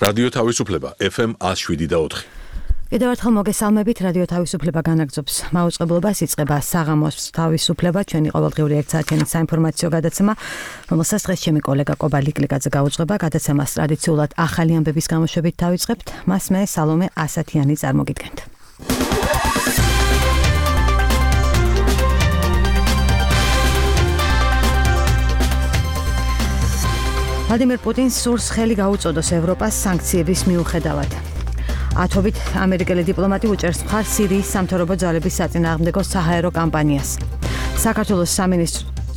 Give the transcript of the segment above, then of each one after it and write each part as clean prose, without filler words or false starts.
რადიო თავისუფლება FM 107.4. კიდევ ერთხელ მოგესალმებით, რადიო თავისუფლება განაგრძობს მაუწყებლობას, იწყება საღამოს თავისუფლება, ჩვენი ყოველდღიური ერთსაათიანი საინფორმაციო გადაცემა, რომელსაც დღეს ჩემი კოლეგა კობა ლიკლიკაძე გაუძღვება. გადაცემას ტრადიციულად ახალი ამბების გამოშვებით დავიწყებთ, მას მე სალომე ასათიანი წარმოგიდგენთ. ვლადიმერ პუტინს სურს ხელი გაუწოდოს ევროპას სანქციების მიუხედავად. ათობით ამერიკელი დიპლომატი უჭერს მხარს სირიის სამთავრობო ძალების საწინააღმდეგო საჰაერო კამპანიას. საქართველოს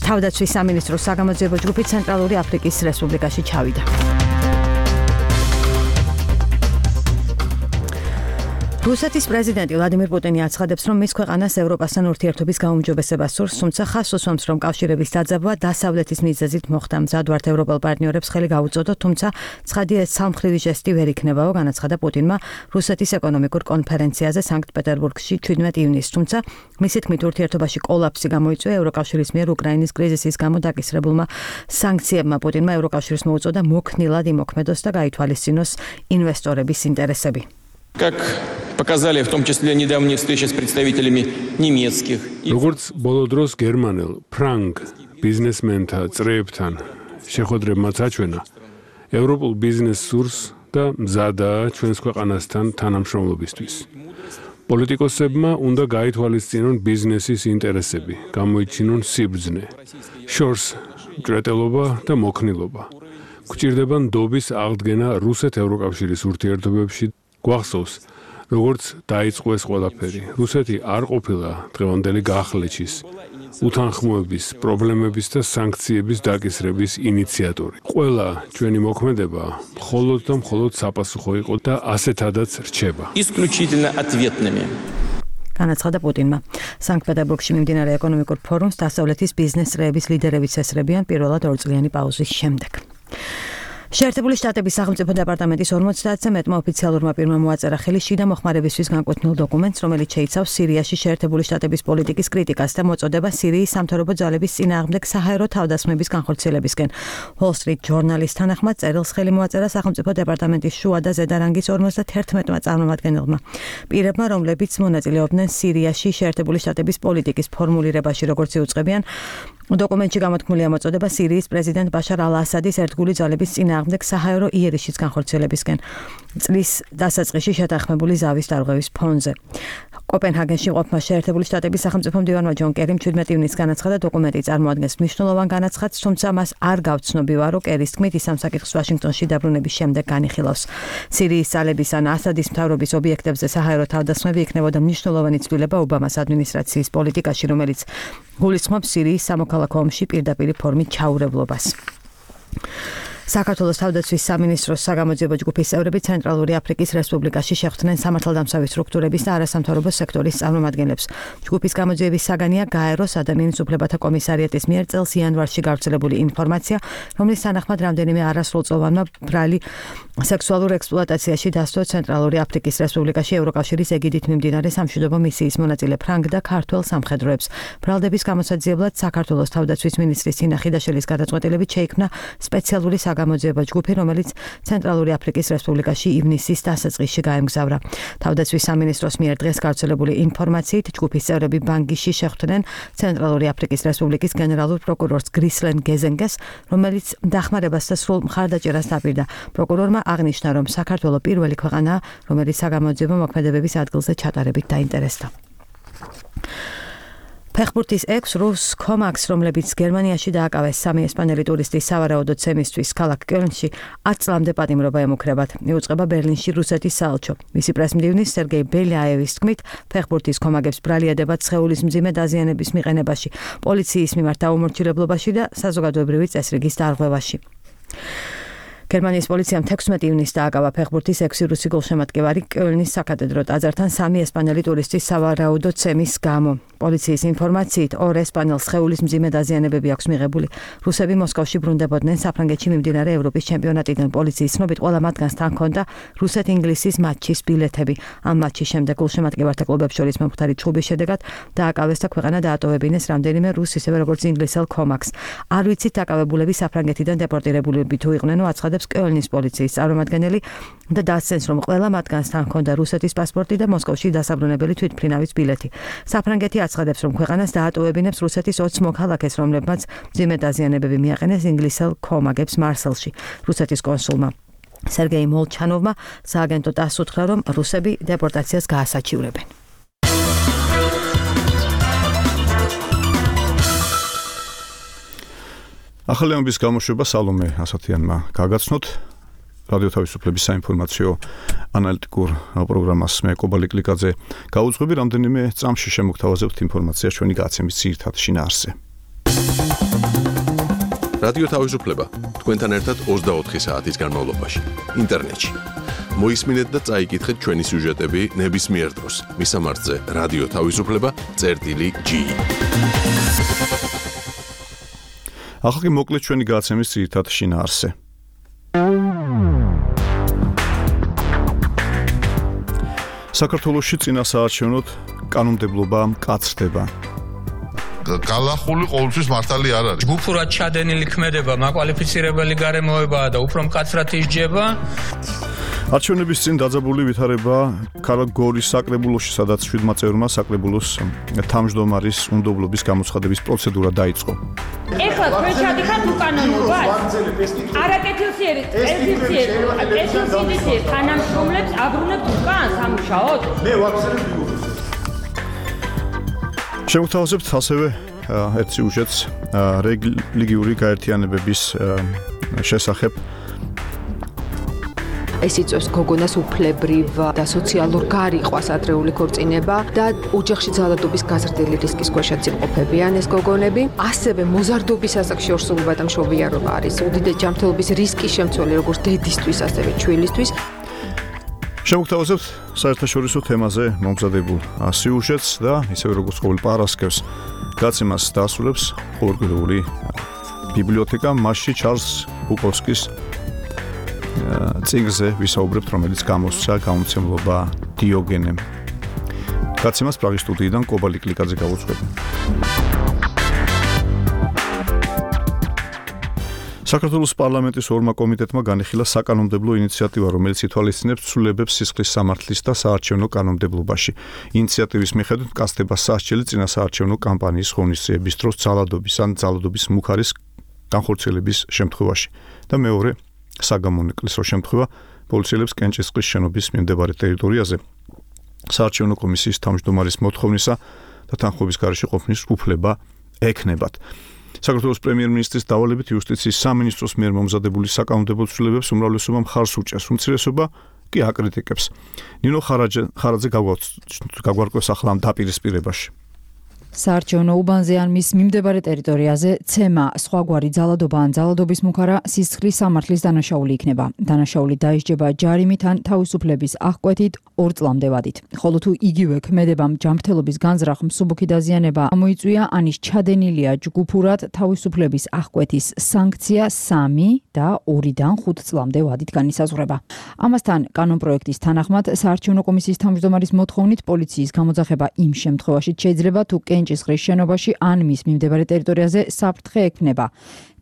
თავდაცვის სამინისტროს საგამოძიებო ჯგუფი ცენტრალური აფრიკის რესპუბლიკაში ჩავიდა. რუსეთის პრეზიდენტი ვლადიმერ პუტინი აცხადებს, რომ მის ქვეყანას ევროპასთან ურთიერთობის გაუმჯობესება სურს, თუმცა ხაზს უსვამს, რომ კავშირების დაძაბვა დასავლეთის მიზეზით მოხდა. მზად ვართ ევროპელ პარტნიორებს ხელი გაუწოდოთ, თუმცა ცხადია ეს ცალმხრივი ჟესტი ვერ იქნებაო, განაცხადა პუტინმა რუსეთის ეკონომიკურ კონფერენციაზე სანქტ-პეტერბურგში 17 ივნისს. თუმცა მისი თქმით ურთიერთობაში კოლაფსი გამოიწვია ევროკავშირის მიერ უკრაინის кризисის გამო დაკისრებულმა სანქციებმა. პუტინმა ევროკავშირს მოუწოდა მოქნილად იმოქმედოს და გაითვალისწინოს ინვესტორების ინტერესები. Как показали в том числе недавние встречи с представителями немецких. Როგორც ბოლო დროს გერმანელ ფრანგ ბიზნესმენთა წრეებთან შეხვედრებმა აჩვენა, ევროპულ ბიზნეს სურს და მზადაა ჩვენს ქვეყანასთან თანამშრომლობისთვის. პოლიტიკოსებმა უნდა გაითვალისწინონ ბიზნესის ინტერესები, გამოიჩინონ სიბრძნე, შორს მჭრეტელობა და მოქნილობა. გვჭირდება ნდობის აღდგენა რუსეთ-ევროკავშირის ურთიერთობებში. გვახსოვს, როგორც დაიწყო ეს ყველაფერი. რუსეთი არ ყოფილა დღევანდელი გახლეჩის, უთანხმოების, პრობლემების და სანქციების დაკისრების ინიციატორი. ყველა ჩვენი მოქმედება მხოლოდ და მხოლოდ საპასუხო იყო და ასეთადაც რჩება. Исключительно ответными. განაცხადა პუტინმა. სანქტ-პეტერბურგში მიმდინარე ეკონომიკურ ფორუმს დასავლეთის ბიზნეს წრეების ლიდერებიც ესწრებიან პირველად ორწლიანი პაუზის შემდეგ. შეერთებული შტატების სახელმწიფო დეპარტამენტის 50-ზე მეტმა ოფიციალურმა პირმა მოაწერა ხელი შიდა მოხმარებისთვის განკუთვნილ დოკუმენტს, რომელიც შეიცავს სირიაში შეერთებული შტატების პოლიტიკის კრიტიკას და მოწოდება სირიის სამთავრობო ძალების წინააღმდეგ საჰაერო თავდასხმების განხორციელებისკენ. Wall Street Journal-ის თანახმად წერილს ხელი მოაწერა სახელმწიფო დეპარტამენტის შუა და ზედა რანგის 51-მა წარმომადგენელმა. პირებმა, რომლებიც მონაწილეობდნენ სირიაში შეერთებული შტატების პოლიტიკის ფორმულირებაში, როგორც იუწყებიან, დოკუმენტში გამოთქმულია მოწოდება სირიის პრეზიდენტ ბაშარ ალ-ასადის ერთგული ძალების წინააღმდეგ საჰაერო იერიშის განხორციელებისკენ წლის დასაწყისში შეთანხმებული ზავის დარღვევის ფონზე. კოპენჰაგენში ყოფნა შეერთებული შტატების სახელმწიფო მდივანმა ჯონ კერიმ 17 ივნისს განაცხადა, დოკუმენტი წარმოადგენს მნიშვნელოვან განაცხადს, თუმცა მას არ გავცნობივა, რომ კერის თქმით ის ამ საკითხს ვაშინგტონში დაბრუნების შემდეგ განიხილავს. სირიის ძალების ან ასადის მთავრობის ობიექტებზე საჰაერო თავდასხმები იქნებოდა მნიშვნელოვანი ცვლილება ობამას ადმინისტრაციის პოლიტიკაში, რომელიც გულისხმობს სირიის სამოქალაქო ომში პირდაპირ ფორმით ჩაურევლობას. საქართველოს თავდაცვის სამინისტროს საგამოძიებო ჯგუფის წევრები ცენტრალური აფრიკის რესპუბლიკაში შეხვდნენ სამართალდამცავი სტრუქტურების და არასამთავრობო სექტორის წარმომადგენლებს. ჯგუფის გამოძიების საგანია გაეროს ადამიანის უფლებათა კომისარიატის მიერ წელს იანვარში გავრცელებული ინფორმაცია, რომლის თანახმად რამდენიმე არასრულწლოვანმა ბრალი სექსუალურ ექსპლუატაციაში დასდო ცენტრალური აფრიკის რესპუბლიკაში ევროკავშირის ეგიდით მიმდინარე სამშვიდობო მისიის მონაწილე ფრანგ და ქართველ სამხედროებს. ბრალდების გამოსაძიებლად საქართველოს თავდაცვის მინისტრის თინა ხიდაშელის გადაწყვეტილებით შეიქმნა სპეციალური გამოძიება ჯგუფი, რომელიც ცენტრალური აფრიკის რესპუბლიკაში ივნისის დასაწყისში გაემგზავრა. თავდაცვის სამინისტროს მიერ დღეს გავრცელებული ინფორმაციით, ჯგუფის წევრები ბანგიში შეხვდნენ ცენტრალური აფრიკის რესპუბლიკის გენერალურ პროკურორს გრისლენ გეზენგეს, რომელიც დახმარებას და სრულ მხარდაჭერას დაპირდა. პროკურორმა აღნიშნა, რომ საქართველო პირველი ქვეყანაა, რომელიც საგამოძიებო მოქმედებების ადგილზე ჩატარებით დაინტერესდა. ფეხბურთის 6 რუს კომაქს, რომლებიც გერმანიაში დააკავეს 3 ესპანელი ტურისტის სავარაუდო ცემისთვის ქალაქ კელნში 10 წლამდე პატიმრობა ემუქრებათ. იუწყება ბერლინში რუსეთის საელჩო. მისი პრესმდივნის სერგეი ბელიაევის თქმით, ფეხბურთის კომაგებს ბრალიადებათ სხეულის მძიმე დაზიანების მიყენებაში, პოლიციის მიმართ დაუმორჩილებლობაში და საზოგადოებრივი წესრიგის დარღვევაში. გერმანიის პოლიციამ 16 ივნისს დააკავა ფეხბურთის 6 რუსი გულშემატკივარი კელნის საკათედრო ტაძართან 3 ესპანელი ტურისტის სავარაუდო ცემის გამო. პოლიციის ინფორმაციით 2 ესპანელს სხეულის მძიმე დაზიანებები აქვს მიღებული. რუსები მოსკოვში ბრუნდებოდნენ საფრანგეთში მიმდინარე ევროპის ჩემპიონატიდან. პოლიციის ცნობით ყველა მათგანს თან ჰქონდა რუსეთ-ინგლისის მატჩის ბილეთები. ამ მატჩის შემდეგ გულშემატკივართა კლუბებს შორის მომხდარი ჩხუბის შედეგად დააკავეს და ქვეყანა დაატოვებინეს რამდენიმე რუს ისევე როგორც ინგლისელ კომაქს. არ ვიცით დაკავებულები საფრანგეთიდან დეპორტირებულები თუ იყვნენ, აცხადა ამოწოდებს კეოლნის პოლიციის წარმომადგენელი და დასცენს, რომ ყველა მათგანსთან ჰქონდა რუსეთის პასპორტი და მოსკოვში დასაბრუნებელი თვითმფრინავის ბილეთი. საფრანგეთი აცხადებს, რომ ქვეყანას დაატოვებინებს რუსეთის 20 მოქალაქეს, რომლებმაც მძიმე დაზიანებები მიაყენეს ინგლისელ ქომაგებს მარსელში. რუსეთის კონსულმა სერგეი მოლჩანოვმა სააგენტო ტასს უთხრა, რომ რუსები დეპორტაციას გაასაჩივრებენ. ახალი ამბის გამოშვება სალომე ასათიანმა გაგაცნოთ. რადიო თავისუფლების საინფორმაციო ანალიტიკურ პროგრამას მე კობალი კლიკაძე გაუძღვები, რამდენიმე წამში შემოგთავაზებთ ინფორმაციას ჩვენი გაცემის ძირითად შინაარსზე. რადიო თავისუფლება თქვენთან ერთად 24 საათის განმავლობაში ინტერნეტში. მოისმინეთ და წაიკითხეთ ჩვენი სიუჟეტები ნებისმიერ დროს მისამართზე რადიო თავისუფლება.gi. ახლა მოკლედ ჩვენი გაცემის ძირითად შინაარსზე. საქართველოში წინასაარჩევნოდ კანონმდებლობა მკაცრდება. გალახული ყოველთვის მართალი არ არის. გუფურად ჩადენილი ქმედება მაკვალიფიცირებელი გარემოებაა და უფრო მკაცრად ისჯება. არჩევნების წინ დაძაბული ვითარება ქალაქ გორის საკრებულოში, სადაც 7 წევრმა საკრებულოს თავმჯდომარის უნდობლობის გამოცხადების პროცედურა დაიწყო. ეხლა თქვენ ჩადიხართ უკანონობას? არაკეთილსიერი პეზიციები თანამშრომლებს აბრუნებთ უკან სამუშაოდ? მე ვახსენებ ბიუროს. შემოგთავაზებთ ასევე ერთ სიუჟეტს რელიგიური გაერთიანებების შესახებ. ეს იწვევს გოგონას უფლებრივ და სოციალურ გარიყვას ადრეული ქორწინება და ოჯახში ძალადობის გაზრდილი რისკის ქვეშაც იმყოფებიან ეს გოგონები. ასევე მოზარდობის ასაკში ორსულობა და მშობიარობა არის უდიდესი ჯანმრთელობის რისკის შემცველი როგორც დედისთვის, ასევე ჩვილისთვის. შემოგთავაზებთ საერთაშორისო თემაზე მომზადებულ სიუჟეტს და ისევე როგორც ყოველ პარასკევს გაცემას დაასრულებს ყოველკვირეული ბიბლიოთეკა, მასში ჩარლზ ბუკოვსკის წიგნზე ვისაუბრებთ, რომელიც გამოსცა გამომცემლობა დიოგენემ. გაცემას პრაღის სტუდიიდან კობალი კლიკაძე გავუძღვები. საქართველოს პარლამენტის ორმა კომიტეტმა განიხილა საკანონმდებლო ინიციატივა, რომელიც ითვალისწინებს ცვლილებებს სისხლის სამართლის და საარჩევნო კანონმდებლობაში. ინიციატივის მიხედვით მკაცდება სასჯელი წინასაარჩევნო კამპანიის ღონისძიების დროს ძალადობის ან ძალადობის მუხარის განხორციელების შემთხვევაში და მეორე საგამონაკლისო შემთხვევა პოლიციელებს კენჭისყრის შენობის მიმდებარე ტერიტორიაზე საარჩევნო კომისიის თავმჯდომარის მოთხოვნისა და თანხმობის გარეშე ყოფნის უფლება ეკნებათ. საქართველოს პრემიერ-მინისტრის დავალებით იუსტიციის სამინისტროს მიერ მომზადებული საკანონმდებლო ცვლილებებს უმრავლესობა მხარს უჭერს, უმცირესობა კი აკრიტიკებს. ნინო ხარაძე გაგვარკვევს ახლა ამ დაპირისპირებაში. საარჩევნო უბანზე ან მის მიმდებარე ტერიტორიაზე ცემა, სხვაგვარი ძალადობა ან ძალადობის მუხარა სისხლის სამართლის დანაშაული იქნება. დანაშაული დაისჯება ჯარიმით ან თავისუფლების აღკვეთით 2 წლამდე ვადით. ხოლო თუ იგივე ქმედებამ ჯანმრთელობის განზრახ, მსუბუქი დაზიანება ამოიწვია, ან ის ჩადენილია ჯგუფურად, თავისუფლების აღკვეთის სანქცია 3 და 2-დან 5 წლამდე ვადით განისაზღვრება. ამასთან კანონპროექტის თანახმად საარჩევნო კომისიის თავმჯდომარის მოთხოვნით პოლიციის გამოძახება იმ შემთხვევაში შეიძლება თუ კენჭისყრის შენობაში ან მის მიმდებარე ტერიტორიაზე საფრთხე ექმნება.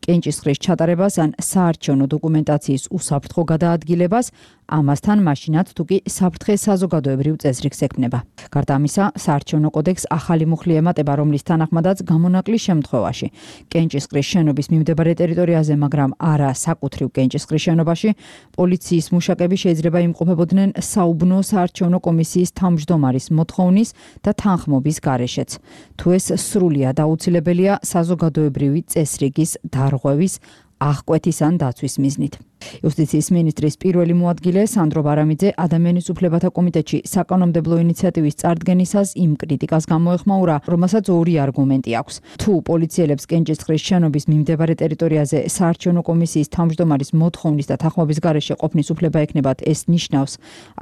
კენჭისყრის ჩატარებას ან საარჩევნო დოკუმენტაციის უსაფრთხო გადაადგილებას, ამასთან მაშინაც თუ კი საფრთხე საზოგადოებრივ წესრიგს ექმნება. გარდა ამისა, საარჩევნო კოდექს ახალი მუხლი ემატება, რომლის თანახმადაც გამონაკლის შემთხვევაში კენჭისყრის შენობის მიმდებარე ტერიტორიაზე, მაგრამ არა საკუთრივ კენჭისყრის შენობაში, პოლიციის მუშაკები შეიძლება იმყოფებოდნენ საუბნო საარჩევნო კომისიის თავმჯდომარის მოთხოვნის და თანხმობის გარეშეც. თუ ეს სრულიად აუცილებელია საზოგადოებრივი წესრიგის დარღვევის, აღკვეთის ან დაცვის მიზნით. იუსტიციის მინისტრის პირველი მოადგილე სანდრო ბარამიძე ადამიანის უფლებათა კომიტეტში საკანონმდებლო ინიციატივის წარდგენისას იმ კრიტიკას გამოეხმაურა, რომელსაც 2 არგუმენტი აქვს. თუ პოლიციელებს კენჭისყრის შენობის მიმდებარე ტერიტორიაზე საარჩევნო კომისიის თავმჯდომარის მოთხოვნის და თანხმობის გარეშე ყოფნის უფლება ექნებათ, ეს ნიშნავს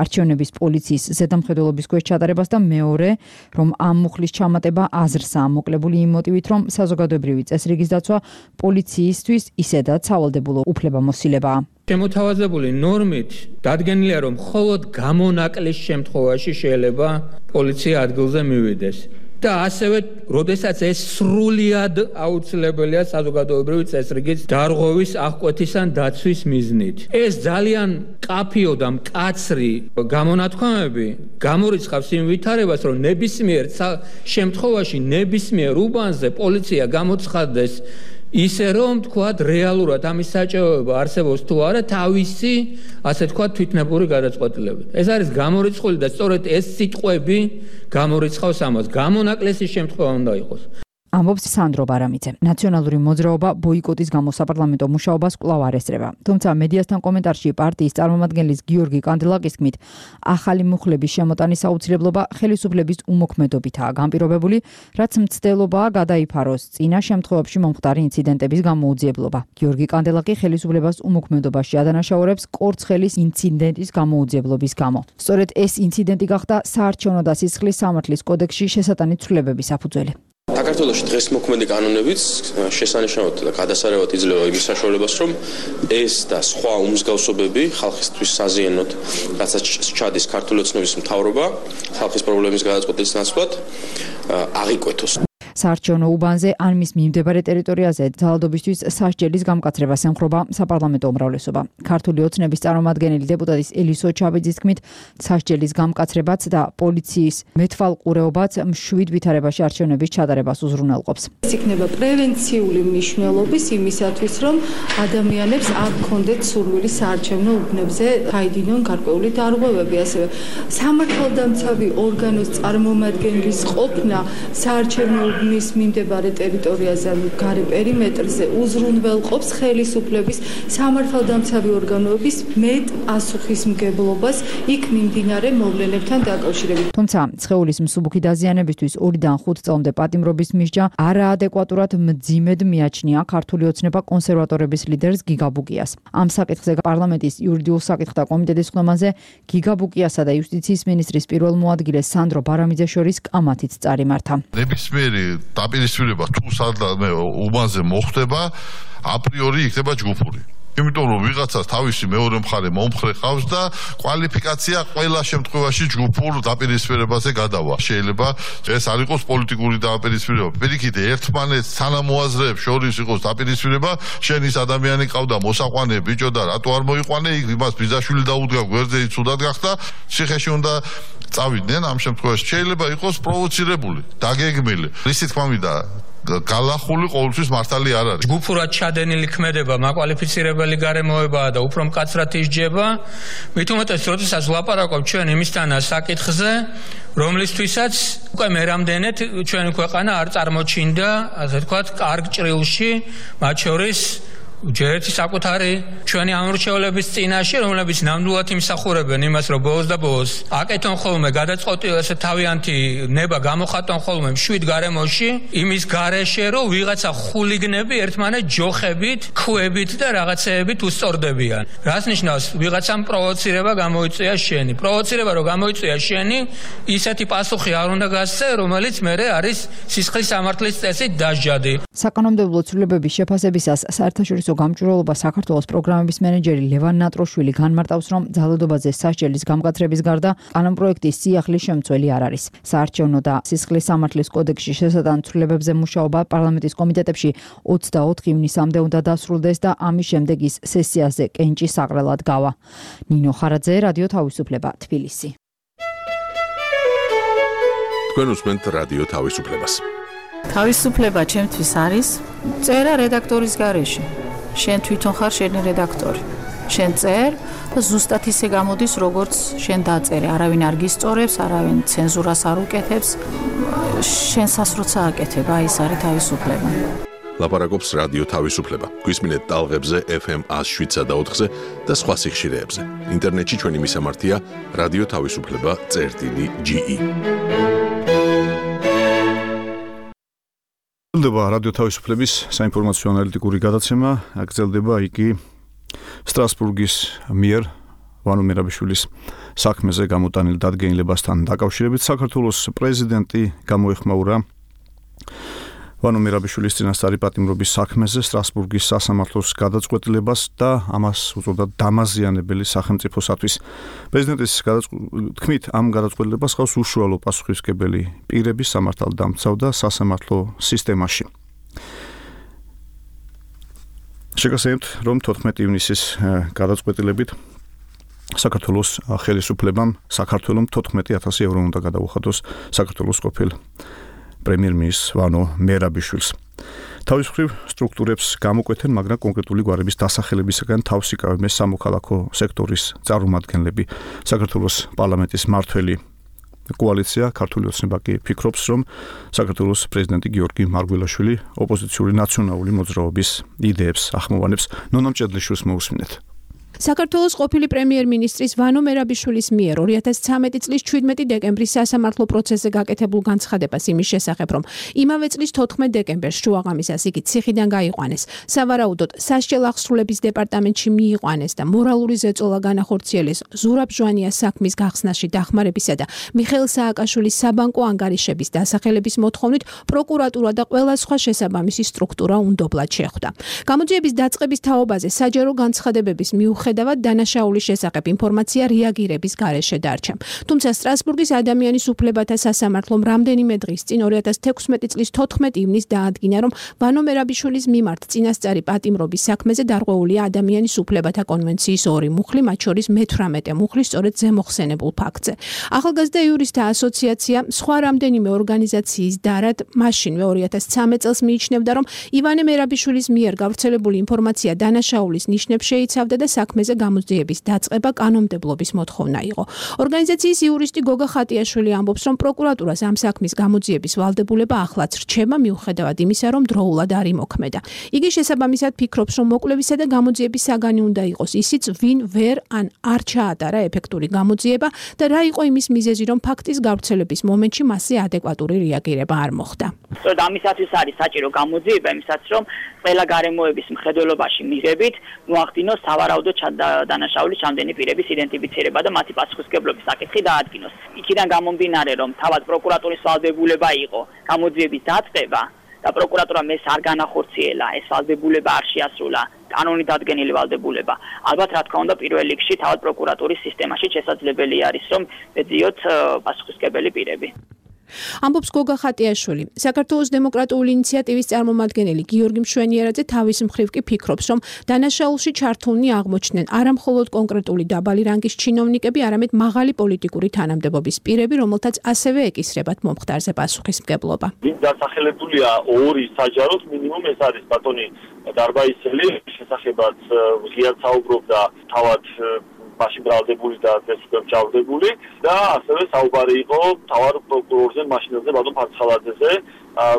არჩევნების პოლიციის ზედამხედველობის ქვეშ ჩატარებას და მეორე, რომ ამ მუხლის ჩამატება აზრსაა მოკლებული იმ მოტივით, რომ საზოგადოებრივი წესრიგის დაცვა პოლიციისთვის ისედაც სავალდებულო უფლებამოსილებაა. შემოთავაზებული ნორმით დადგენილია, რომ მხოლოდ გამონაკლის შემთხვევაში შეიძლება პოლიცია ადგილზე მივიდეს. და ასევე როდესაც ეს სრულიად აუცილებელია საზოგადოებრივი წესრიგის დარღვევის, აღკვეთის ან დაცვის მიზნით. ეს ძალიან კაფიო და მკაცრი გამონათქვამები გამორიცხავს იმ ვითარებას, რომ ნებისმიერ შემთხვევაში ნებისმიერ უბანზე პოლიცია გამოცხადდეს ისე რომ თქვათ რეალურად ამის საჭიროება არსებობს თუ არა თავისი ასე თქვათ თვითნებური გადაწყვეტილებით. ეს არის გამორიცხული და სწორედ ეს სიტყვები გამორიცხავს ამას. გამონაკლისი შემთხვევა უნდა იყოს. ამბობს სანდრო ბარამიძე. ნაციონალური მოძრაობა ბოიკოტის გამო საპარლამენტო მუშაობას კვლავ არ ესწრება. თუმცა მედიასთან კომენტარში პარტიის წარმომადგენლის გიორგი კანდელაკის თქმით, ახალი მუხლების შემოტანის აუცილებლობა ხელისუფლების უმოქმედობითაა განპირობებული, რაც მცდელობაა გადაიფაროს წინა შემთხვევებში მომხდარი ინციდენტების გამოუძიებლობა. გიორგი კანდელაკი ხელისუფლებას უმოქმედობაში ადანაშაულებს კორცხელის ინციდენტის გამოუძიებლობის გამო. სწორედ ეს ინციდენტი გახდა საარჩევნო და სისხლის სამართლის კოდექსში შესატანით ცვლილებების საფუძველი. საქართველოში დღეს მოქმედი კანონებით შესანიშნავად და გადასარევად იძლევა იმის საშუალებას, რომ ეს და სხვა უმსგავსობები ხალხისთვის საზიანოდ, რაცაც ჩადის ქართული ოცნების მთავრობა, ხალხის პრობლემის გადაწყვეტის ნაცვლად აღიკვეთოს. საარჩევნო უბანზე ან მის მიმდებარე ტერიტორიაზე ძალადობისთვის სასჯელის გამკაცრებას ემხრობა საპარლამენტო უმრავლესობა. ქართული ოცნების წარმომადგენელი დეპუტატის ელისო ჩაბიძის თქმით, სასჯელის გამკაცრებაც და პოლიციის მეთვალყურეობაც მშვიდ ვითარებაში არჩევნების ჩატარებას უზრუნველყოფს. ეს იქნება პრევენციული მნიშვნელობის იმისათვის, რომ ადამიანებს არ ქონდეთ სურვილი საარჩევნო უბნებზე გაიდინონ გარკვეული დარღვევები, ასევე სამართალდამცავი ორგანოს წარმომადგენლის ყოფნა საარჩევნო უბნის მიმდებარე ტერიტორიაზე ან გარე პერიმეტრზე უზრუნველყოფს ხელისუფლების სამართალდამცავი ორგანოების მეტ პასუხისმგებლობას იქ მიმდინარე მოვლენებთან დაკავშირებით. თუმცა სხეულის მსუბუქი დაზიანებისთვის 2-დან 5 წლამდე პატიმრობის მისჯა არაადეკვატურად მძიმედ მიაჩნია ქართული ოცნება კონსერვატორების ლიდერს გიგა ბუკიას. ამ საკითხზე პარლამენტის იურიდიულ საკითხთა კომიტეტის ხმაზე გიგა ბუკიასა და იუსტიციის მინისტრის პირველ მოადგილეს სანდრო ბარამიძეს შორის კამათიც წარიმართა. ნებისმიერი დაპირისპირება თუ სადღაც უბანზე მოხდება, აპრიორი იქნება ჯგუფური. იმიტომ რომ ვიღაცას თავისი მეორე მხარე მომხრე ყავს და კვალიფიკაცია ყველა შემთხვევაში ჯგუფურ დაპირისპირებაზე გადავა. შეიძლება ეს არ იყოს პოლიტიკური დაპირისპირება. პირიქით ერთმანეთს თანამოაზრეებს შორის იყოს დაპირისპირება, შენ ის ადამიანი ყავდა მოსაყვანე ბიჭო და რატო არ მოიყვანე, იმას ბიძაშვილი დაუდგა გვერდზე იცუდად გახდა, ციხეში უნდა წავიდნენ ამ შემთხვევაში. შეიძლება იყოს პროვოცირებული, დაგეგმილი. ისი თქმა მინდა გალახული ყოველთვის მართალი არ არის. ჯგუფურად ჩადენილი ქმედება მაკვალიფიცირებელი გარემოებაა და უფრო მკაცრად ისჯება. მით უმეტეს, როდესაც ვლაპარაკობ ჩვენ იმისთან საკითხზე, რომლისთვისაც უკვე მერამდენეთ ჩვენი ქვეყანა არ წარმოჩინდა, ასე ვთქვათ, კარგ ჭრილში, მათ შორის ჯერეთი საკუთარი ჩვენი ამორჩევლების წინაშე, რომლებიც ნამდვილად იმსახურებენ იმას, რომ ბოლოს და ბოლოს აკეთონ ხოლმე გადაწყვეტილება, ესე თავიანთი ნება გამოხატონ ხოლმე მშვიდ გარემოში, იმის გარეშე, რომ ვიღაცა ხულიგნები ერთმანეთს ჯოხებით, ქვებით და რაღაცეებით უსწორდებიან. რას ნიშნავს ვიღაცამ პროვოცირება გამოიწვია შენი. პროვოცირება რომ გამოიწვია შენი, ისეთი პასუხი არ უნდა გასცე, რომელიც მერე არის სისხლის სამართლის წესით დასჯადი. საკანონმდებლო ცვლილებების შეფასებისას საერთაშორისო გამჭვირვალობა საქართველოს პროგრამების მენეჯერი ლევან ნატროშვილი განმარტავს, რომ ძალადობაზე სასჯელის გამკაცრების გარდა კანონპროექტის სიახლის შემცველი არ არის. საარჩევნო და სისხლის სამართლის კოდექსში შესატან ცვლილებებზე მუშაობა პარლამენტის კომიტეტებში 24 ივნისამდე უნდა დასრულდეს და ამის შემდეგ ის სესიაზე კენჭის საყრელად გავა. ნინო ხარაძე, რადიო თავისუფლება, თბილისი. თქვენ უსმენთ რადიო თავისუფლებას. თავისუფლება ჩემთვის არის წერა რედაქტორის გარეშე. შენ თვითონ ხარ შენი რედაქტორი. შენ წერ და ზუსტად ისე გამოდის, როგორც შენ დაწერე. არავინ არ გისწორებს, არავინ ცენზურას არ უკეთებს. შენსას როცა აკეთებ, აი ეს არის თავისუფლება. ლაპარაკობს რადიო თავისუფლება. გვისმინეთ ტალღებზე FM 107.4-ზე და სხვა სიხშირეებზე. ინტერნეტში ჩვენი მისამართია რადიო თავისუფლება.ge. გრძელდება რადიო თავისუფლების საინფორმაციო ანალიტიკური გადაცემა, გრძელდება იგი სტრასბურგის მიერ ვანო მერაბიშვილის საქმეზე გამოტანილ დადგენილებასთან დაკავშირებით. საქართველოს პრეზიდენტი გამოეხმაურა ვანო მერაბიშვილის წინასწარი პატიმრობის საქმეზე სტრასბურგის სასამართლოს გადაწყვეტილებას და ამას უწოდა დამაზიანებელი სახელმწიფოსათვის. პრეზიდენტის თქმით, ამ გადაწყვეტილებას ხავს უშუალო პასუხისმგებელი პირების სამართალდამცავ და სასამართლო სისტემაში. შეგახსენებთ, რომ 14 ივნისის გადაწყვეტილებით საქართველოს ხელისუფლებამ საქართველოს 14,000 ევრო უნდა გადაუხადოს საქართველოს ყოფილ პრემიერ-მინისტრს ვანო მერაბიშვილს. თავის მხრივ სტრუქტურებს გამოკვეთენ, მაგრამ კონკრეტული გვარების დასახელებისგან თავს იკავებენ სამოქალაქო სექტორის წარმომადგენლები. საქართველოს პარლამენტის მმართველი კოალიცია ქართული ოცნება კი ფიქრობს, რომ საქართველოს პრეზიდენტი გიორგი მარგველაშვილი ოპოზიციური ნაციონალური მოძრაობის იდეებს ახმოვანებს. ნონამ ჭედლიშვილს მოусმინეთ. საქართველოს ყოფილი პრემიერ-მინისტრის ვანო მერაბიშვილის მიერ 2013 წლის 17 დეკემბრის სასამართლო პროცესზე გაკეთებულ განცხადებას იმის შესახებ, რომ იმავე წლის 14 დეკემბერს შუაღამისას იგი ციხიდან გაიყვანეს, სავარაუდოდ სასჯელ აღსრულების დეპარტამენტში მიიყვანეს და მორალური ზეწოლა განახორციელეს ზურაბ ჟვანიას საქმის გახსნაში დახმარებისა და მიხეილ სააკაშვილის საბანკო ანგარიშების დასახელების მოთხოვნით პროკურატურა და ყველა სხვა შესაბამისი სტრუქტურა უნდობლად შეხვდა. გამოძიების დაწყების თაობაზე საჯარო განცხადებების მიუხედავად დანაშაულის შესახებ ინფორმაცია რეაგირების გარეშე დარჩა. თუმცა სტრასბურგის ადამიანის უფლებათა სასამართლომ რამდენიმე დღის წინ 2016 წლის 14 ივნისს დაადგინა, რომ ვანო მერაბიშვილის მიმართ წინასწარი პატიმრობის საქმეზე დარღვეულია ადამიანის უფლებათა კონვენციის 2 მუხლი, მათ შორის მე-18 მუხლი სწორედ ზემოხსენებულ ფაქტზე. ახალგაზრდა იურისტთა ასოციაცია სხვა რამდენიმე ორგანიზაციის დარად მაშინვე 2013 წელს მიიჩნევდა, რომ ივანე მერაბიშვილის მიერ გავრცელებული ინფორმაცია დანაშაულის ნიშნებს შეიცავდა და საქმეზე გამოძიების დაწყება კანონმდებლობის მოთხოვნა იყო. ორგანიზაციის იურისტი გოგა ხატიაშვილი ამბობს, რომ პროკურატურას ამ საქმის გამოძიების ვალდებულება ახლაც რჩება, მიუხედავად იმისა, რომ დროულად არ იმოქმედა. იგი შესაბამისად ფიქრობს, რომ მოკლებისა და გამოძიების საგანი უნდა იყოს ისიც, ვინ ვერ ან არ ჩაატარა ეფექტური გამოძიება და რა იყო იმის მიზეზი, რომ ფაქტის გავრცელების მომენტში მასზე ადეკვატური რეაგირება არ მოხდა. სწორედ ამისათვის არის საჭირო გამოძიება, იმისათვის, რომ ყველა გარემოების მხედველობაში მიღებით მოახდინოს სავარაუდო დანაშაულის ჩამდენი პირების იდენტიფიცირება და მათი პასუხისმგებლობის საკითხი დაადგინოს. იქიდან გამომდინარე, რომ თავად პროკურატურის ვალდებულება იყო გამოძიების დაწყება და პროკურატურამ ეს არ განახორციელა, ეს ვალდებულება არ შეასრულა, კანონით დადგენილი ვალდებულება. ალბათ რა თქმა უნდა პირველ რიგში თავად პროკურატურის სისტემაში შესაძლებელი არის, რომ ეძიოთ პასუხისმგებელი პირები. ამბობს გოგა ხატიაშვილი. საქართველოს დემოკრატიული ინიციატივის წარმომადგენელი გიორგი მშვენიერაძე თავის მხრივ კი ფიქრობს, რომ დანაშაულში ჩართულნი აღმოჩნდნენ არა მხოლოდ კონკრეტული დაბალი რანგის ჩინოვნიკები, არამედ მაღალი პოლიტიკური თანამდებობის პირები, რომელთაც ასევე ეკისრებათ მომხდარზე პასუხისმგებლობა. ვინ დასახელებულია 2 საჯაროდ მინიმუმ ეს არის ბატონი დარბაისელი, შესახებაც ღიად საუბრობდა თავად მაშინ ბრალდებული და დღეს უკვე მჭავდებული და ასევე საუბარი იყო თავარ პროკურორზე მაშინელზე ბატონ ფარცხალაძეზე,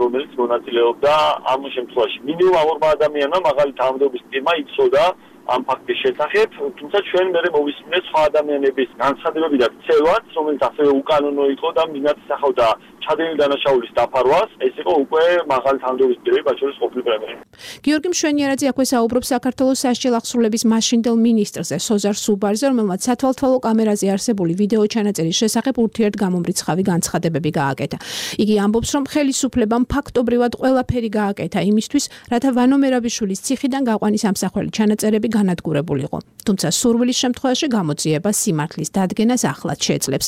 რომელიც მონაწილეობდა ამ შემთხვევაში. მინიმუმ ამ ორმა ადამიანმა მაღალი თანამდებობის პირმა იცოდა ამ ფაქტის შესახებ, თუმცა ჩვენ მერე მოვისმინეთ სხვა ადამიანების განცხადებები და ქცევაც, რომელიც ასევე უკანონო იყო და მინაც ისახავდა ჩადენილი დანაშაულის დაფარვას, ეს იყო უკვე მაღალი თანამდებობის პირები, მათ შორის ყოფილი პრემიერი. გიორგი მშვენიერაძე აქვე საუბრობს საქართველოს სასჯელ აღსრულების მაშინდელ მინისტრზე, სოზარ სუბარზე, რომელმაც სათვალთვალო კამერაზე არსებული ვიდეო ჩანაწერის შესახებ ურთიერთგამომრიცხავი განცხადებები გააკეთა. იგი ამბობს, რომ ხელისუფლებამ ფაქტობრივად ყველაფერი გააკეთა იმისთვის, რათა ვანო მერაბიშვილის ციხიდან გაყვანის ამსახველი ჩანაწერები განადგურებულიყო. თუმცა სურვილის შემთხვევაში გამოძიება სიმართლის დადგენას ახლად შეძლებს.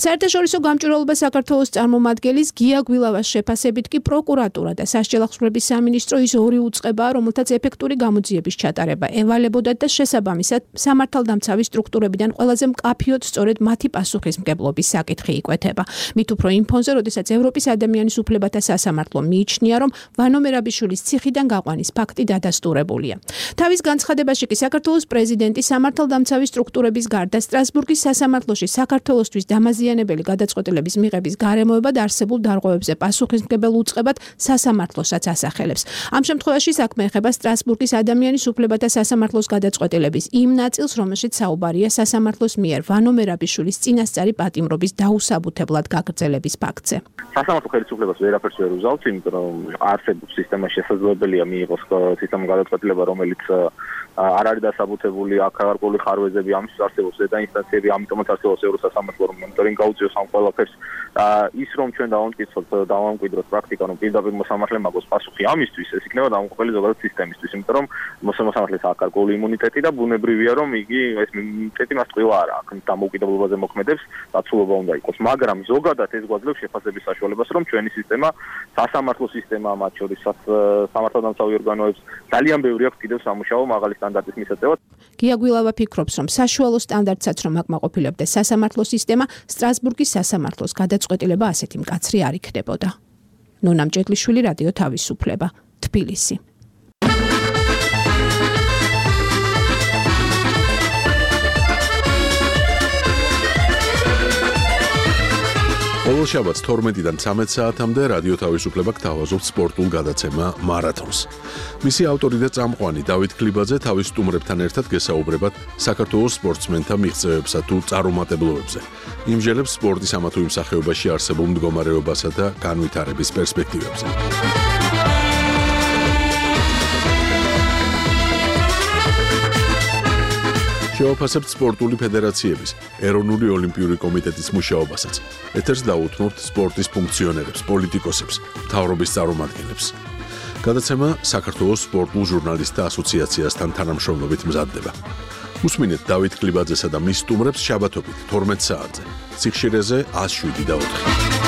საერთაშორისო გამჭვირვალობა საქართველოს წარმომადგენლის გია გვილავას შეფასებით კი პროკურატურა და სასჯელ აღსრულების სამინისტრო ის 2 უწყებაა, რომელთაც ეფექტური გამოძიების ჩატარება ევალებოდათ და შესაბამისად სამართალდამცავი სტრუქტურებიდან ყველაზე მკაფიოდ სწორედ მათი პასუხისმგებლობის საკითხი იკვეთება. მით უფრო იმ ფონზე, როდესაც ევროპის ადამიანის უფლებათა სასამართლო მიიჩნია, რომ ვანო მერაბიშვილის ციხიდან გაყვანის ფაქტი დადასტურებულია. თავის განცხადებაში კი საქართველოს პრეზიდენტი სამართალდამცავი სტრუქტურების გარდა სტრასბურგის სასამართლოში საქართველოსთვის დამაზიანებელი გადაწყვეტილების მიღების გარემოებად არსებულ დარღვევებზე პასუხისმგებელ უწყებად სასამართლოსაც ასახელებს. ამ შემთხვევაში საქმე ეხება სტრასბურგის ადამიანის უფლებათა სასამართლოს გადაწყვეტილების იმ ნაწილს, რომელშიც საუბარია სასამართლოს მიერ ვანო მერაბიშვილის წინასწარი პატიმრობის დაუსაბუთებლად გაგრძელების ფაქტზე. სასამართლო ხელისუფლებას ვერაფერს ვერ უზავთ, იმიტომ რომ არსებობს სისტემაში შესაძლებელია მიიღოს სისტემის გადაწყვეტილება, რომელიც არ არის დასაბუთებული, აქ გარკვეული ხარვეზები, ამისთვის არსებობს ზედა ინსტანციები, ამიტომაც არსებობს ევროსასამართლო, რომ მონიტორინგი გაუწიოს ამ ყველაფერს. ის რომ ჩვენ დავამკვიდროთ პრაქტიკა, რომ პირდაპირ მოსამართლე მაგოს პასუხი ამისთვის, ეს იქნება დამოუკიდებელი ზოგადად სისტემისთვის, იმიტომ რომ მოსამართლეს აქვს გარკვეული იმუნიტეტი და ბუნებრივია, რომ იგი ეს იმუნიტეტი მას ტყუილ არ აქვს, დამოუკიდებლობაზე მოქმედებს, დაცულობა უნდა იყოს, მაგრამ ზოგადად ეს გვაძლევს შეფასების საშუალებას, რომ ჩვენი სისტემა, სასამართლო სისტემა, მათ შორის სამართალდამცავი ორგანოებს ძალიან ბევრი აქვს კიდევ სამუშაო მაღალი სტანდარტის მისაწევად. გია გვილავა ფიქრობს, რომ საშუალო სტანდარტსაც რომ აკმაყოფილებდეს სასამართლო სისტემა, სტრასბურგის სასამართლოს გადაწყვეტილება ასეთი მკაცრი არ იქნებოდა. ნონა მჭედლიშვილი, რადიო თავისუფლება, თბილისი. ყოველ შაბათს 12-დან 13 საათამდე რადიო თავისუფლება გთავაზობთ სპორტულ გადაცემა მარათონს. მისი ავტორი და წამყვანი დავით ქლიბაძე თავის სტუმრებთან ერთად გესაუბრებათ საქართველოს სპორტსმენთა მიღწევებსა თუ წარუმატებლობებზე. იმჟელებს სპორტის ამა თუ იმ სახეობაში არსებულ მდგომარეობასა და განვითარების პერსპექტივებზე. შევაფასებთ სპორტული ფედერაციების, ეროვნული ოლიმპიური კომიტეტის მუშაობასაც. ეთერს დაუთმობთ სპორტის ფუნქციონერებს, პოლიტიკოსებს, მთავრობის წარმომადგენლებს. გადაცემა საქართველოს სპორტულ ჟურნალისტთა ასოციაციასთან თანამშრომლობით მზადდება. უსმინეთ დავით ქლიბაძესა და მის სტუმრებს შაბათობით 12 საათზე. სიხშირეზე 107.4.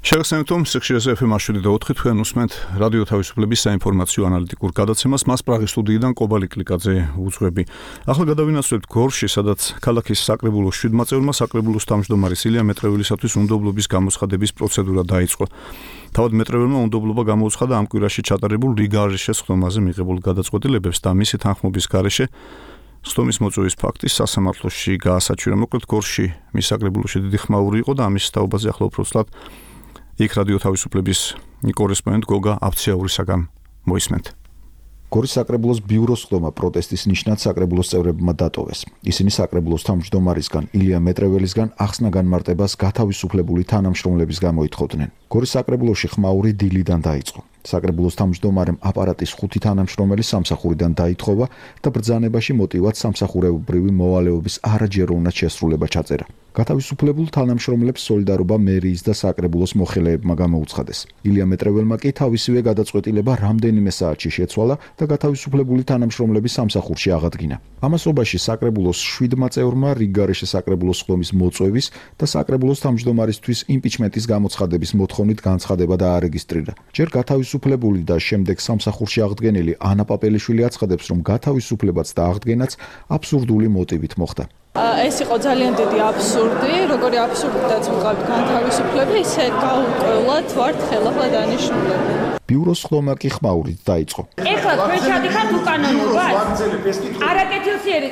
შეგახსენებთ, რომ სიხშირეზე FM 107.4 თქვენ უსმენთ რადიო თავისუფლების საინფორმაციო ანალიტიკურ გადაცემას. მას პრაღის სტუდიიდან კობალი კლიკაძე უძღვები. ახლა გადავინაცვლებთ გორში, სადაც ქალაქის საკრებულოს 7 საკრებულოს თავმჯდომარის ილია მეტრეველისათვის უნდობლობის გამოცხადების პროცედურა დაიწყო. თავად მეტრეველმა უნდობლობა გამოუცხადა ამ კვირაში ჩატარებულ რიგარიშეს ხდომაზე მიღებულ გადაწყვეტილებებს და მისი თანხმობის გარეშე ხდომის მოწვევის ფაქტის სასამართლოში გაასაჩვირა. მოკლედ გორში მის საკრებულოში დიდი ხმაური იყო და ამის თაობაზე ახლა უფრო ცუდად იქ რადიო თავისუფლების კორესპონდენტ გოგა აფციაურისაგან მოისმენთ. გორის საკრებულოს ბიუროს ხდომა პროტესტის ნიშნად საკრებულოს წევრებმა დატოვეს. ისინი საკრებულოს თავმჯდომარისგან ილია მეტრეველისგან ახსნა განმარტებას გათავისუფლებული თანამშრომლების გამოითხოვდნენ. გორის საკრებულოში ხმაური დილიდან დაიწყო. საკრებულოს თავმჯდომარემ აპარატის 5 თანამშრომელი სამსახურიდან დაითხოვა და ბრძანებაში მოტივად სამსახურებრივი მოვალეობის არაჯეროვნად შესრულება ჩაწერა. გათავისუფლებულ თანამშრომლებს სოლიდარობა მერიის და საკრებულოს მოხელეებმა გამოუცხადეს. ილია მეტრეველმა კი თავისივე გადაწყვეტილება რამდენიმე საათში შეცვალა და გათავისუფლებული თანამშრომლების სამსახურში აღადგინა. ამასობაში საკრებულოს 7 წევრმა რიგგარეშე საკრებულოს ხდომის მოწვევის და საკრებულოს თავმჯდომარისთვის იმპიჩმენტის გამოცხადების მოთხოვნით განცხადება დაარეგისტრირა. ჯერ გათავისუფლებული და შემდეგ სამსახურში აღდგენილი ანა პაპელიშვილი აცხადებს, რომ გათავისუფლებაც და აღდგენაც აბსურდული მოტივით მოხდა. ეს იყო ძალიან დიდი აბსურდი, როგორი აბსურდითაც ვიყავთ განთავისუფლება, ისე გაურკვევლად ვართ ხელახლა დანიშნულები. ბიუროს ხდომა კი ხმაურით დაიწყო. ეხლა თქვენ ჩადიხართ უკანონობას? არაკეთილსიერი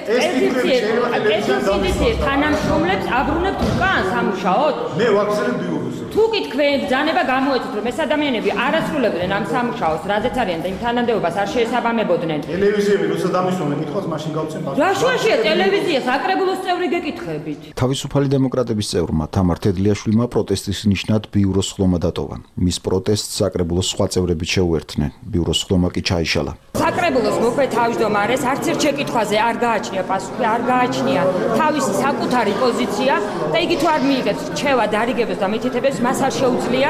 თანამშრომლებს აბრუნებთ უკან სამუშაოდ? მე ვაგზავნებ ბიუროს. თუ კი თქვენ ბრძანება გამოეცეთ, რომ ეს ადამიანები არ ასრულებდნენ ამ სამუშაოს, რადგან არიან და იმ თანამდებობას არ შეესაბამებოდნენ. ტელევიზიები როცა დამისვამენ, კითხავს მაშინ გავცემ ბაზარს. რა შუაშია ტელევიზია, საკრებულოს წევრი გეკითხებით. თავისუფალი დემოკრატების წევრმა თამარ თედლიაშვილმა პროტესტის ნიშნად ბიუროს ხდომა დატოვა. მის პროტესტს საკრებულოს სხვა წევრები შეუერთდნენ. ბიუროს ხდომა კი ჩაიშალა. საკრებულოს მოქმედ თავმჯდომარეს არც ერთ შეკითხვაზე არ გააჩნია პასუხი, არ გააჩნია თავისი საკუთარი პოზიცია და იგი თუ არ მიიღებს რჩევა დარიგებას და მითითებებს, მას არ შეუძლია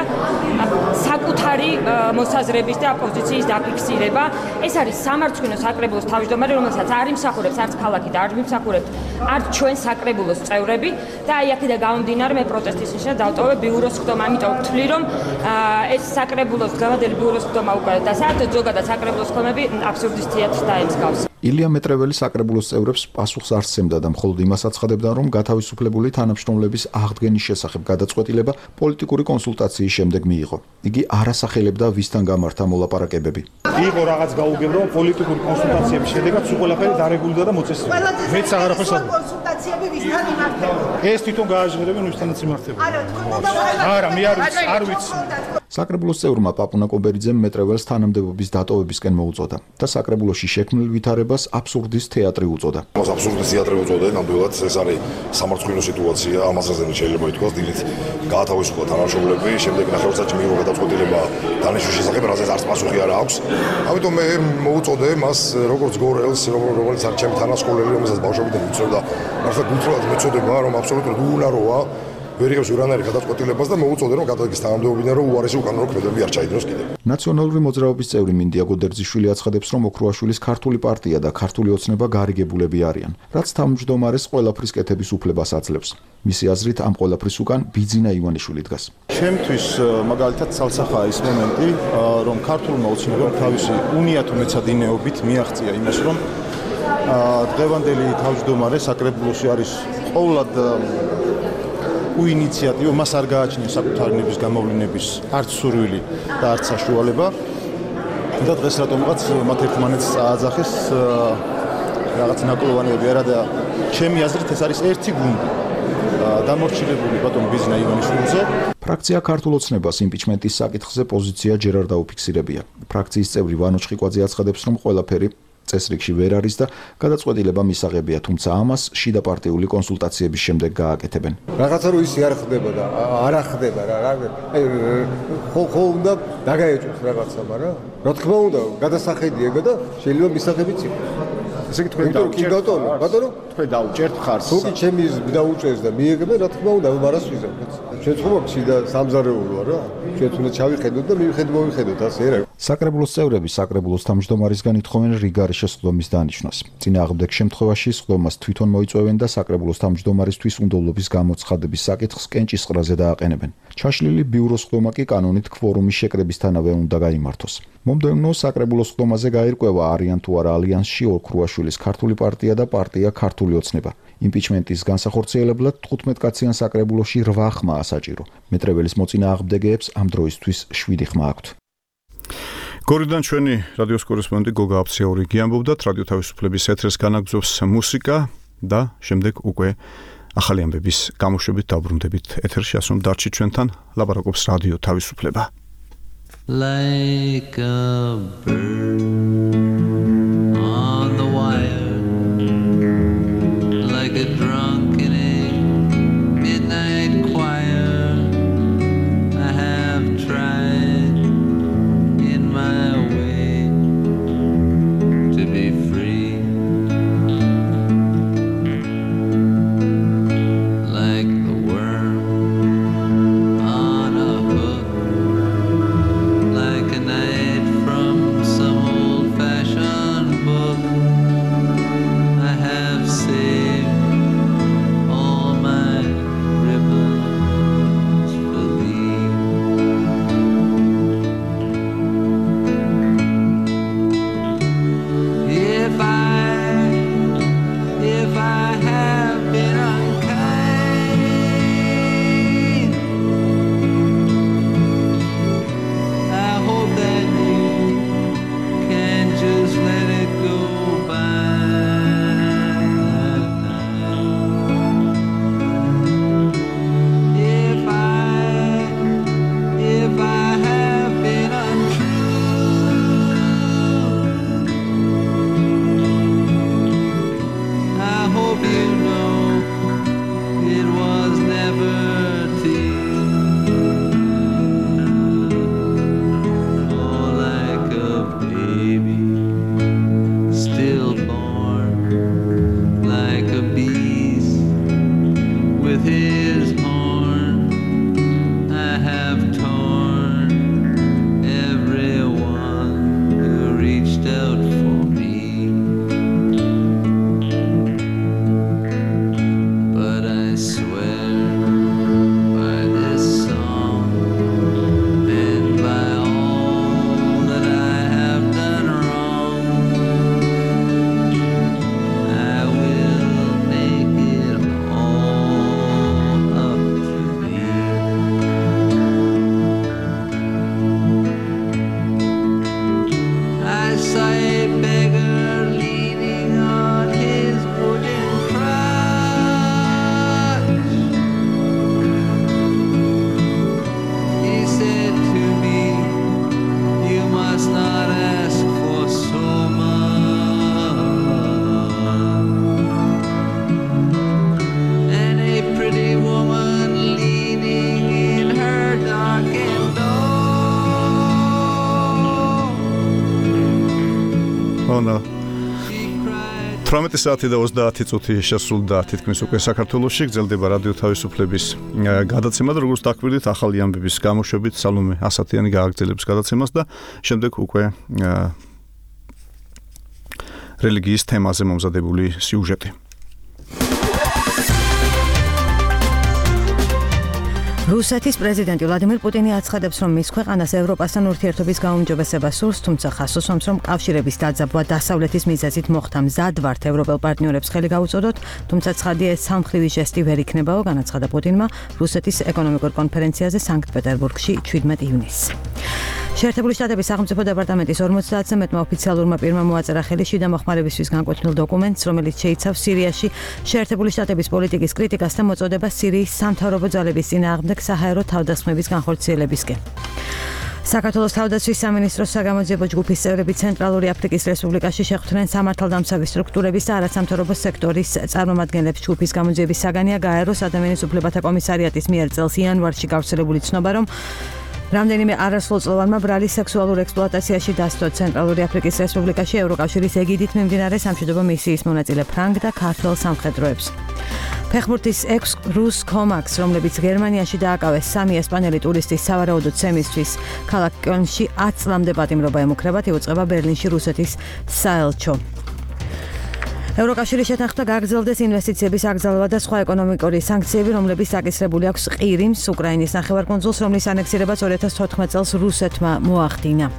საკუთარი მოსაზრების და პოზიციის დაფიქსირება. ეს არის სამარცხვინო საკრებულოს თავმჯდომარე, რომელსაც არ იმსახურებს არც ქალაქი და არ მიმსახურებს არც ჩვენ საკრებულოს წევრები და აი აქედან გამომდინარე მე პროტესტის ნიშნად დავტოვე ბიუროს ხდომა, ამიტომ ვთვლი, რომ ეს საკრებულოს გამოდელი ბიუროს ხდომა უკვე და საერთოდ ზოგადად საკრებულოს ხდომები აბსურდისტიათ დაემსგავს. ილია მეტრეველი საკრებულოს წევრებს პასუხს არ სცემდა და მხოლოდ იმას აცხადებდა, რომ გათავისუფლებული თანამშრომლების აღდგენის შესახებ გადაწყვეტილება პოლიტიკური კონსულტაციის შემდეგ მიიღო. იგი არ ასახელებდა ვისთან გამართა მოლაპარაკებები. იყო რაღაც გაუგებრო პოლიტიკური კონსულტაციების შედეგად სულ ყველაფერი დარეგულირდა და მოწესრიგდა. მეც აღარაფერს არ კონსულტაციები ვისთან იმართება? ეს თვითონ გააჟღერებენ ვისთანაც იმართება. არა, მე არ ვიცი. საკრებულოს წევრმა პაპუნა კობერიძემ მეტრეველს თანამდებობის დატოვებისკენ მოუწოდა და საკრებულოში შექმნილ ვითარებას აბსურდის თეატრი უწოდა. მას აბსურდის თეატრი უწოდა, ნამდვილად ეს არის სამართლიანი სიტუაცია, ამასაც შეიძლება ითქვას, დილით გაათავისუფლა თანამშრომლები, შემდეგ ნახევარსაათი მიიღო გადაწყვეტილება დანიშნვის შესახებ, რაზეც არც პასუხი არ აქვს. ამიტომ მე მოუწოდე მას როგორც გორელს, რომელიც არის ჩემი თანასწორელი, რომელსაც ბავშვობიდან ვიცოდა, ახლა გულწრფელად მეწოდება, რომ აბსოლუტურად უუნაროა ვერიღებს ურანარი გადაწყვეტილებას და მოუწოდე რომ გადადგეს თანამდებობიდან რომ უარესი უკანონო ქმედები არ ჩაიდროს კიდევ. ნაციონალური მოძრაობის წევრი მინდია გოდერძიშვილი აცხადებს, რომ ოქროაშვილის ქართული პარტია და ქართული ოცნება გარიგებულები არიან, რაც თავმჯდომარეს ყველაფრის კეთების უფლებას აძლევს. მისი აზრით ამ ყველაფრის უკან ბიძინა ივანიშვილი დგას. ჩემთვის მაგალითად ცალსახაა ის მომენტი, რომ ქართულმა ოცნებამ თავისი უნიათო მეცადინეობით მიაღწია იმას, რომ დღევანდელი თავმჯდომარე საკრებულოში არის ყოვლად უინიციატივო, მას არ გააჩნია საკუთარი ნების გამოვლენების არც სურვილი და არც საშუალება. და დღეს რატომღაც მათ ერთმანეთს წააძახეს რაღაც ნაკლოვანები არა და ჩემი აზრით ეს არის ერთი გუნდი დამორჩილებული ბატონ ბიძინა ივანიშვილზე. ფრაქცია ქართულ ოცნებას იმპიჩმენტის საკითხზე პოზიცია ჯერ არ დაუფიქსირებია. ფრაქციის წევრი ვანო ჩხიკვაძე აცხადებს, რომ ყველაფერი წესრიგში ვერ არის და გადაწყვეტილება მისაღებია, თუმცა ამას შიდა პარტიული კონსულტაციების შემდეგ გააკეთებენ. რაღაცა რო ისი არ ხდება და არ ხდება რა. ხო უნდა დაგაეჭვოს რაღაცა, მაგრამ რა თქმა უნდა, გადასახედიება და შეიძლება მისაღებიც იყოს. ესე იგი თქვენ დაუჭერთ ბატონო, თქვენ დაუჭერთ ხარს. თუ კი ჩემი დაუჭერს და მიიღებენ, რა თქმა უნდა, მარას ვიზამთ. ჩვენ ხომ შიდა სამზარეულოა რა. ჩვენ უნდა ჩავიხედოთ და მოვიხედოთ ასე რა. საკრებულოს წევრები საკრებულოს თავმჯდომარისგან ითხოვენ რიგარი შესხდომის დანიშვნას. წინააღმდეგ შემთხვევაში სხდომას თვითონ მოიწვევენ და საკრებულოს თავმჯდომარისთვის უნდობლობის გამოცხადების საკითხს კენჭისყრაზე დააყენებენ. ჩაშლილი ბიუროს სხდომა კი კანონით ქვორუმის შეკრებისთანავე უნდა გაიმართოს. მომდევნო საკრებულოს სხდომაზე გაირკვევა არიან თუ არა ალიანსში ოქროაშვილის ქართული პარტია და პარტია ქართული ოცნება. იმპიჩმენტის განსახორციელებლად 15 კაციან საკრებულოში 8 ხმაა საჭირო. მეტრეველის მოწინააღმდეგეებს ამ დროისთვის 7 ხმა აქვთ. გორიდან ჩვენი რადიოს კორესპონდენტი გოგა აფციური გიამბობდათ, რადიო თავისუფლების ეთერს განაგზობს მუსიკა და შემდეგ უკვე ახალი ამბების გამოშვებით დაბრუნდებით ეთერში, ასე რომ დარჩით ჩვენთან, ლაპარაკობს რადიო თავისუფლება. Like a bird on the wire, like a drunk in a midnight choir, I have tried in my way to be free, like the worm on a hook, like a night from some old-fashioned 18 საათი და 30 წუთი შესრულდა თითქმის უკვე საქართველოში გრძელდება რადიო თავისუფლების გადაცემა და როგორც დაკვირდით ახალი ამბების გამოშვებით სალომე ასათიანი გააგრძელებს გადაცემას და შემდეგ უკვე რელიგიის თემაზე მომზადებული სიუჟეტი. რუსეთის პრეზიდენტი ვლადიმირ პუტინი აცხადებს, რომ მის ქვეყანას ევროპასთან ურთიერთობის გაუმჯობესება სურს, თუმცა ხასუსვამს, რომ კავშირების დაძაბვა დასავლეთის მიზეზით მოხდა მზად ვართ ევროპელ პარტნიორებს ხელი გაუწოდოთ, თუმცა ცხადია ეს სამხრივი ჟესტი ვერ იქნებაო, განაცხადა პუტინმა რუსეთის ეკონომიკურ კონფერენციაზე სანქტ-პეტერბურგში 17 ივნისს. შეერთებული შტატების სახელმწიფო დეპარტამენტის 50-ზე მეტმა ოფიციალურმა პირმა მოაწერა ხელი შიდა მოხმარებისთვის განკვეთილ დოკუმენტს, რომელიც შეიცავს სირიაში შეერთებული შტატების პოლიტიკის კრიტიკას და მოწოდებას სირიის სამთავრობო ძალების წინააღმდეგ საჰაერო თავდასხმების განხორციელებისკენ. საქართველოს თავდაცვის სამინისტროს საგამოძიებო ჯგუფის წევრები ცენტრალური აფრიკის რესპუბლიკაში შეხვდნენ სამართალდამცავი სტრუქტურების და არასამთავრობო სექტორის წარმომადგენლებს. ჯგუფის გამოძიების საგანია გაეროს ადამიანის უფლებათა კომისარიატის მიერ წელს იანვარში გავრცელებული ცნობა, რომ რამდენიმე არასრულწლოვანმა ბრალის სექსუალურ ექსპლუატაციაში დასდო ცენტრალური აფრიკის რესპუბლიკაში ევროკავშირის ეგიდით მიმდინარე სამშვიდობო მისიის მონაწილე ფრანგ და ქართველ სამხედროებს. ფეხბურთის 6 რუს კომაკს, რომლებიც გერმანიაში დააკავეს 3 ესპანელი ტურისტის სავარაუდო ცემისთვის, ქალაქ კელნში 10 წლამდე პატიმრობა ემუქრებათ, იუწყება ბერლინში რუსეთის საელჩო. ევროკავშირის შეთანხმდა გაგრძელდეს ინვესტიციების აკრძალვა და სხვა ეკონომიკური სანქციები, რომლებიც დაკისრებული აქვს ყირიმს, უკრაინის ნახევარკუნძულს, რომლის ანექსირებას 2014 წელს რუსეთმა მოახდინა.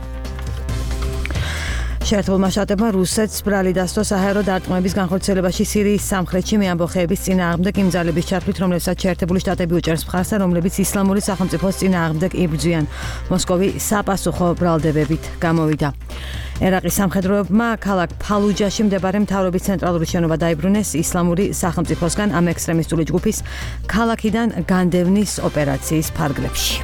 შეერთებულმა შტატებმა რუსეთს ბრალი დასდო საჰაერო დარტყმების განხორციელებაში სირიის სამხრეთში მეამბოხეების წინააღმდეგ იმ ძალების ჩართვით, რომლებსაც შეერთებული შტატები უჭერს მხარს და რომლებიც ისლამური სახელმწიფოს წინააღმდეგ იბრძვიან. მოსკოვი საპასუხო ბრალდებებით გამოვიდა. ერაყის სამხედროებმა ქალაქ ფალუჯაში მდებარე მთავრობის ცენტრალური შენობა დაიბრუნეს ისლამური სახელმწიფოსგან ამ ექსტრემისტული ჯგუფის ქალაქიდან განდევნის ოპერაციის ფარგლებში.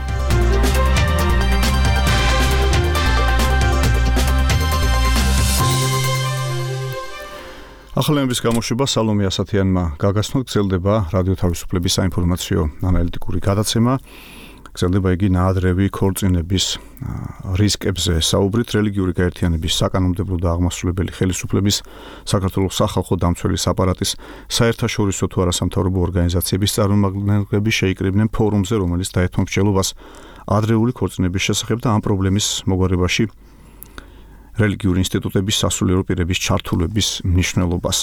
ახალების გამოშვება სალომე ასათიანმა გაგაცნო, გრძელდება რადიო თავისუფლების საინფორმაციო ანალიტიკური გადაცემა. გრძელდება იგი ნაადრევი ქორწინების რისკებზე საუბრით რელიგიური გაერთიანების საკანონმდებლო და აღმასრულებელი ხელისუფლების საქართველოს სახალხო დამცველის აპარატის საერთაშორისო თუ არასამთავრობო ორგანიზაციების წარმომადგენლები შეიკრიბნენ ფორუმზე, რომელიც დაეთმო მსჯელობას ადრეული ქორწინების შესახებ და ამ პრობლემის მოგვარებაში რელიგიური ინსტიტუტების სასულიერო პირების ჩართულების მნიშვნელობას.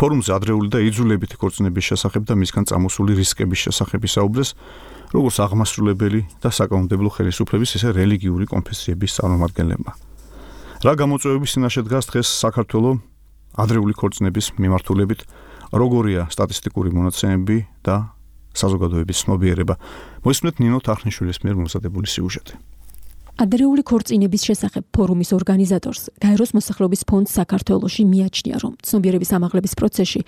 ფორუმზე ადრეული და იძულებითი ქორწინების შესახებ და მისგან წამოსული რისკების შესახებ ისაუბრეს როგორც აღმასრულებელი და საკანონმდებლო ხელისუფლების, ისე რელიგიური კონფესიების წარმომადგენლებმა. რა გამოწვევების წინაშე დგას დღეს საქართველოს ადრეული ქორწინების მიმართულებით, როგორია სტატისტიკური მონაცემები და საზოგადოების ცნობიერება. მოისმენთ ნინო თახნიშვილის მიერ მომზადებული სიუჟეტი. ადრეული ქორწინების შესახებ ფორუმის ორგანიზატორს გაეროს მოსახლეობის ფონდს საქართველოში მიაჩნია, რომ ცნობიერების ამაღლების პროცესში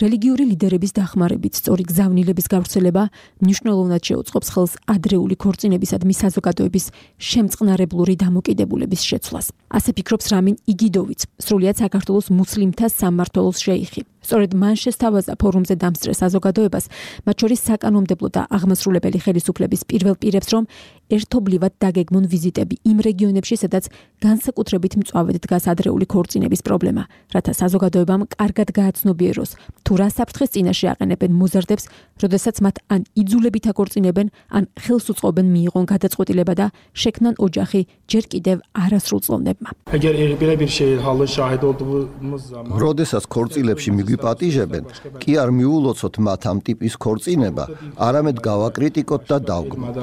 რელიგიური ლიდერების დახმარებით სწორი გზავნილების გავრცელება მნიშვნელოვნად შეუწყობს ხელს ადრეული ქორწინებისადმი საზოგადოების შემწყნარებლური დამოკიდებულების შეცვლას. ასე ფიქრობს რამინ იგიდოვიც, სრულიად საქართველოს მუსლიმთა სამმართველოს შეიხი. სწორედ მან შესთავაზა ფორუმზე დამსწრე საზოგადოებას, მათ შორის საკანონმდებლო და აღმასრულებელი ხელისუფლების პირველ პირებს, რომ ერთობლივად დაგეგმონ ვიზიტები იმ რეგიონებში, სადაც განსაკუთრებით მწვავედ დგას ადრეული ქორწინების პრობლემა, რათა საზოგადოებამ კარგად გააცნობიეროს, თუ რა საფრთხეს წინაშე აყენებენ მოზარდებს, როდესაც მათ ან იძულებით აქორწინებენ, ან ხელს უწყობენ მიიღონ გადაწყვეტილება და შექმნან ოჯახი ჯერ კიდევ არასრულწლოვნებმა. როდესაც ქორწილებში მიგვიპატიჟებენ, კი არ მიულოცოთ მათ ამ ტიპის ქორწინება, არამედ გავაკრიტიკოთ და დავგმოთ.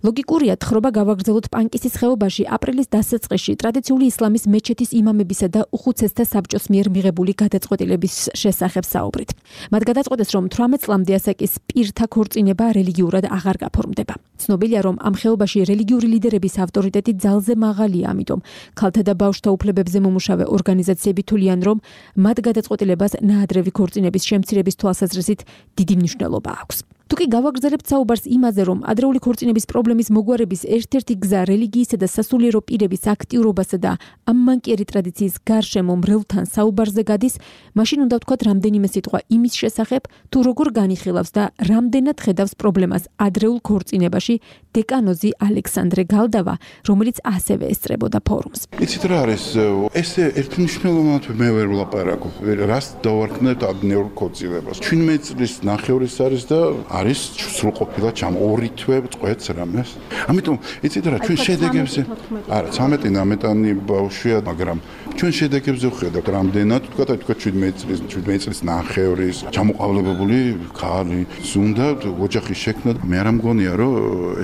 ლოგიკურია თხრობა გავაგრძელოთ პანკისის ხეობაში აპრილის დასაწყისში ტრადიციული ისლამის მეჩეთის იმამებისა და უხუცესთა საბჭოს მიერ მიღებული გადაწყვეტილების შესახებ საუბრით. მათ გადაწყვეტეს, რომ 18 წლამდე ასაკის პირთა ქორწინება რელიგიურად აღარ გაფორმდება. ცნობილია, რომ ამ ხეობაში რელიგიური ლიდერების ავტორიტეტი ძალზე მაღალია, ამიტომ ქალთა და ბავშვთა უფლებებზე მომუშავე ორგანიზაციები თვლიან, რომ მათ გადაწყვეტილებას ნაადრევი ქორწინების შემცირების თვალსაზრისით დიდი მნიშვნელობა აქვს. თუ კი გავაგრძელებთ საუბარს იმაზე, რომ ადრეული ქორწინების პრობლემის მოგვარების ერთ-ერთი გზა რელიგიისა და სასულიერო პირების აქტიურობასა და ამ მანკიერი ტრადიციის გარშემო მრევლთან საუბარზე გადის, მაშინ უნდა ვთქვათ რამდენიმე სიტყვა იმის შესახებ, თუ როგორ განიხილავს და რამდენად ხედავს პრობლემას ადრეულ ქორწინებაში დეკანოზი ალექსანდრე გალდავა, რომელიც ასევე ესწრებოდა ფორუმს. იცით რა არის? ეს ერთმნიშვნელოვნად მე ვერ ვლაპარაკობ. რას დავარქმევთ ადრეულ ქორწინებას? 17 წლის ნახევრის არის და არის სრულყოფილად ორი თვე წყვეტს რამეს. ამიტომ იცით რა, ჩვენ შედეგებზე არა 13-19 ბავშვია, მაგრამ ჩვენ შედეგებზე ვხედავთ რამდენად თქვა 17 წლის ნახევრის ჩამოყალიბებული ქალი ზუნდა ოჯახის შექმნა. მე არ მგონია რომ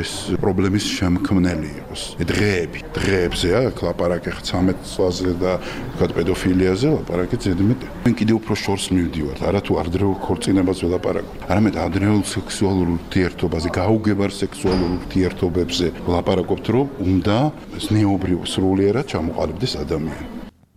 ეს პრობლემის შემქმნელი იყოს. დღეებზე აქ ლაპარაკი 13 წლაზე და თქვა პედოფილიაზე ლაპარაკი ზედმეტი. მე კიდევ უფრო შორს მივდივართ, არა თუ ადრეულ ქორწინებას ველაპარაკობ. არამედ ადრეულ სექსუალურ ურთიერთობაზე, გაუგებარ სექსუალურ ურთიერთობებზე ვლაპარაკობთ, რომ უნდა ზნეობრივ სრულიერად ჩამოყალიბდეს ადამიანი.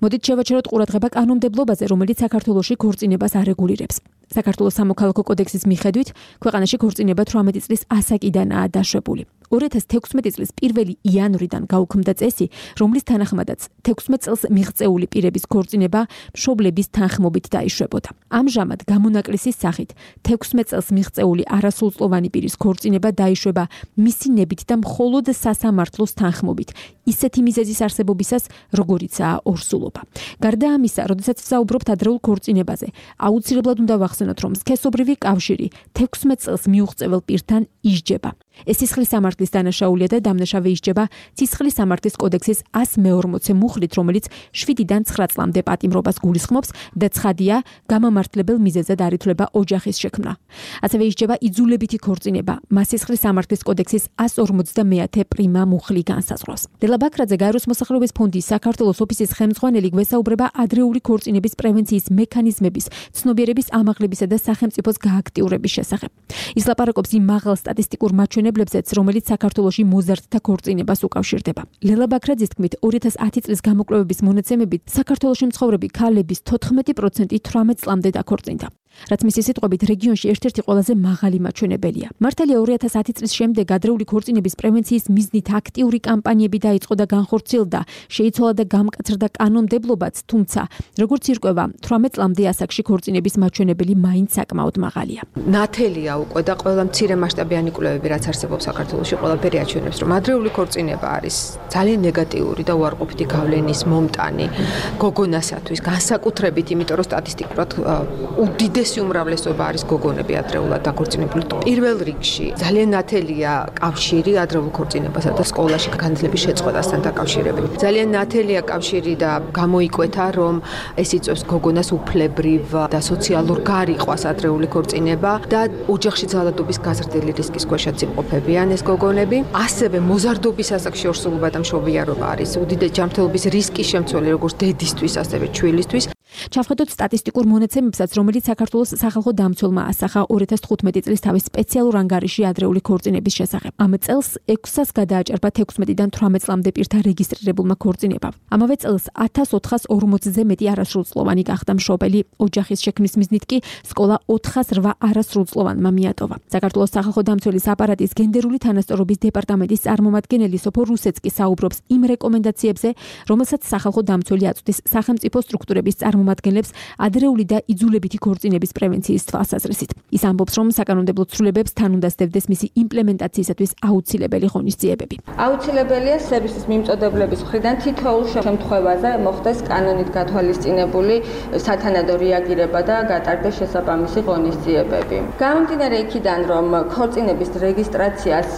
მოდით შევაჩეროთ ყურადღება კანონმდებლობაზე, რომელიც საქართველოში ქორწინებას არეგულირებს. საქართველოს სამოქალაქო კოდექსის მიხედვით, ქვეყანაში ქორწინება 18 წლის ასაკიდანაა დაშვებული. 2016 წლის 1 იანვრიდან გაუქმდა წესი, რომლის თანახმადაც 16 წელს მიღწეული პირების ქორწინება მშობლების თანხმობით დაიშვებოდა. ამჟამად გამონაკლისის სახით 16 წელს მიღწეული არასრულწლოვანი პირის ქორწინება დაიშვება მისი ნებით და მხოლოდ სასამართლოს თანხმობით, ისეთი მიზეზის არსებობისას, როგორიცაა ორსულობა. გარდა ამისა, როდესაც ვსაუბრობთ ადრეულ ქორწინებაზე, აუცილებლად უნდა ვახსენოთ, რომ სქესობრივი კავშირი 16 წელს მიუღწეվել პირთან ისჯება. ეს სისხლის სამართლის დანაშაულია და დამნაშავე ისჯება სისხლის სამართლის კოდექსის 140 მუხლით, რომელიც 7-დან 9 წლამდე პატიმრობას გულისხმობს და ცხადია, გამამართლებელ მიზეზად არ ითვლება ოჯახის შექმნა. ასევე ისჯება იძულებითი ქორწინება, მას სისხლის სამართლის კოდექსის 150 პრიმა მუხლი განსაზღვრავს. ლელა ბაქრაძე, გაეროს მოსახლეობის ფონდის საქართველოს ოფისის ხელმძღვანელი, გვესაუბრება ადრეული ქორწინების პრევენციის მექანიზმების, ცნობიერების ამაღლებისა და სახელმწიფოს გააქტიურების შესახებ. ის ლაპარაკობს იმ მაღალ სტატისტიკურ მაჩვენებლებზეც, რომელიც საქართველოში მოზარდთა ქორწინებას უკავშირდება. ლელა ბაქრაძის თქმით, 2010 წლის გამოკვლევების მონაცემებით, საქართველოში მცხოვრები ქალების 14% 18 წლამდე დაქორწინდა. რაც მისი სიტყვებით რეგიონში ერთ-ერთი ყველაზე მაღალი მაჩვენებელია. მართალია 2010 წლის შემდეგ ადრეული ქორწინების პრევენციის მიზნით აქტიური კამპანიები დაიწყო და განხორციელდა, შეიცვალა და გამკაცრდა კანონმდებლობაც, თუმცა როგორც ირკვევა, 18 წლამდე ასაკში ქორწინების მაჩვენებელი მაინც საკმაოდ მაღალია. ნათელია უკვე და ყველა მცირე მასშტაბიანი კვლევები, რაც არსებობს საქართველოში, ყველაფერი აჩვენებს, რომ ადრეული ქორწინება არის ძალიან ნეგატიური და უარყოფითი გავლენის მომტანი გოგონასათვის, განსაკუთრებით, იმიტომ რომ სტატისტიკურად უდიდესი უმრავლესობა არის გოგონები ადრეულად დაქორწინებული. პირველ რიგში ძალიან ნათელია კავშირი ადრეულ ქორწინებასა და სკოლაში განათლების შეწყვეტასთან დაკავშირებით. ძალიან ნათელია კავშირი და გამოიკვეთა, რომ ეს იწვევს გოგონას უფლებრივ და სოციალურ გარიყვას ადრეული ქორწინება და ოჯახში ძალადობის გაზრდილი რისკის ქვეშაც იმყოფებიან ეს გოგონები. ასევე მოზარდობის ასაკში ორსულობა და მშობიარობა არის უდიდესი ჯანმრთელობის რისკის შემცველი როგორც დედისთვის, ასევე ჩვილისთვის. ჩავხედოთ სტატისტიკურ მონაცემებსაც, რომელიც საქართველოს სახალხო დამცველმა ასახა 2015 წლის თავის სპეციალურ ანგარიში ადრეული ქორწინების შესახებ. ამ წელს 600-ს გადააჭარბა 16-დან 18 წლამდე პირთა რეგისტრირებულმა ქორწინებამ. ამავე წელს 1440-ზე მეტი არასრულწლოვანი გახდა მშობელი, ოჯახის შექმნის მიზნით კი სკოლა 408 არასრულწლოვანმა მიატოვა. საქართველოს სახალხო დამცველის აპარატის გენდერული თანასწორობის დეპარტამენტის წარმომადგენელი სოფო რუსეცკი საუბრობს იმ რეკომენდაციებზე, რომელსაც სახალხო დამცველი აწვდის სახელმწიფო სტრუქტურების წარმომადგენლებს ადრეული და იძულებითი ქორწინების პრევენციის თვალსაზრისით. ის ამბობს, რომ საკანონმდებლო ცვლილებებს თან უნდა სდევდეს მისი იმპლემენტაციისათვის აუცილებელი ღონისძიებები. აუცილებელია სერვისის მიმწოდებლების მხრიდან თითოეულ შემთხვევაზე მოხდეს კანონით გათვალისწინებული სათანადო რეაგირება და გატარდეს შესაბამისი ღონისძიებები. გამომდინარე იქიდან, რომ ქორწინების რეგისტრაციას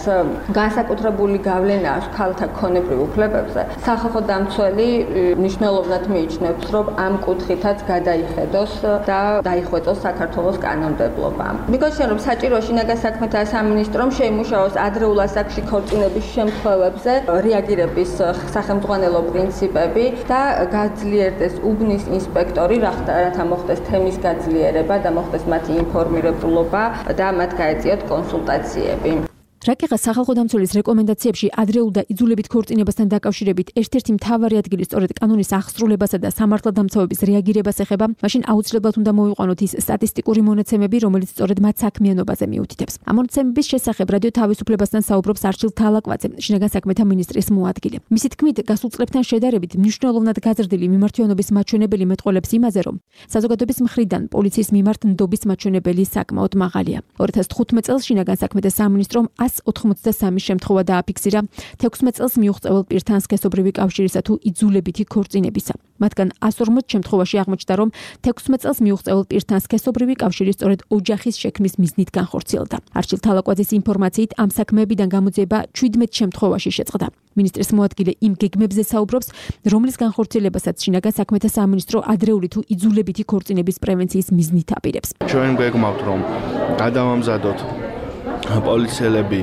განსაკუთრებული გავლენა აქვს ქალთა ქონებრივ უფლებებზე, სახალხო დამცველი მნიშვნელოვნად მიიჩნევს, რომ ამ კუთხითაც გადაიხედოს და დაიხვეწოს საქართველოს კანონმდებლობა. მიგოჩნია, რომ საჭიროა შინაგან საქმეთა სამინისტრომ შეიმუშაოს ადრეულ ასაკში ქორწინების შემთხვევებზე რეაგირების სახელმძღვანელო პრინციპები და გაძლიერდეს უბნის ინსპექტორი, რათა მოხდეს თემის გაძლიერება და მოხდეს მათი ინფორმირებულობა და მათ გაეწიოთ კონსულტაციები. რაკეღა სახალხო დამცველის რეკომენდაციებში ადრეულ და იძულებით ქორწინებასთან დაკავშირებით ერთ-ერთი მთავარი ადგილი სწორედ კანონის აღსრულებასა და სამართალდამცავების რეაგირებას ეხება, მაშინ აუცილებლად უნდა მოვიყვანოთ ის სტატისტიკური მონაცემები, რომელიც სწორედ მათ საქმიანობაზე მიუთითებს. ამ მონაცემების შესახებ რადიო თავისუფლებასთან საუბრობს არჩილ თალაკვაძე, შინაგან საქმეთა მინისტრის მოადგილე. მისი თქმით, გასულ წლებთან შედარებით მნიშვნელოვნად გაზრდილი მიმართულების მაჩვენებელი მეტყველებს იმაზე, რომ საზოგადოების მხრიდან პოლიციის მიმართ ნდობის მაჩვენებელი საკმაოდ მაღალია. 2015 წელს შინაგან საქმეთა სამინისტრომ 183 შემთხვევა დააფიქსირა 16 წელს მიუღწევალ პირთან სქესობრივი კავშირისა თუ იძულებითი ქორწინებისა. მათგან 140 შემთხვევაში აღმოჩნდა, რომ 16 წელს მიუღწევალ პირთან სქესობრივი კავშირი სწორედ ოჯახის შექმნის მიზნით განხორციელდა. არჩილ თალაკვაძის ინფორმაციით ამ საქმეებიდან გამოძიება 17 შემთხვევაში შეწყდა. მინისტრის მოადგილე იმ გეგმებზე საუბრობს, რომლის განხორციელებასაც შინაგან საქმეთა სამინისტრო ადრეული თუ იძულებითი ქორწინების პრევენციის მიზნით აპირებს. ჩვენ გვეგმავთ, რომ გადავამზადოთ პოლიციელები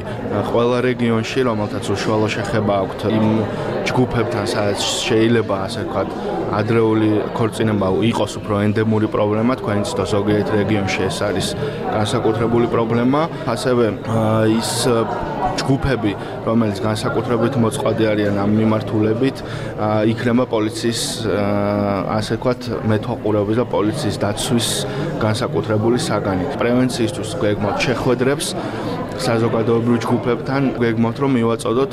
ყველა რეგიონში, რომელთაც უშუალო შეხება აქვთ იმ ჯგუფებთან, სადაც შეიძლება ასე ვთქვათ, ადრეული ქორწინება იყოს უფრო ენდემური პრობლემა, თქვენ იცით, ზოგიერთ რეგიონში ეს არის განსაკუთრებული პრობლემა, ასევე ის ჯგუფები, რომელიც განსაკუთრებით მოწყვლადი არიან ამ მიმართულებით, იქნება პოლიციის ასე ვთქვათ, მეთვალყურეობის და პოლიციის დაცვის განსაკუთრებული საგანი. პრევენციისთვის გვეგმავთ შეხვედრებს საზოგადოებრივ ჯგუფებთან, გვეგმავთ, რომ მივაწოდოთ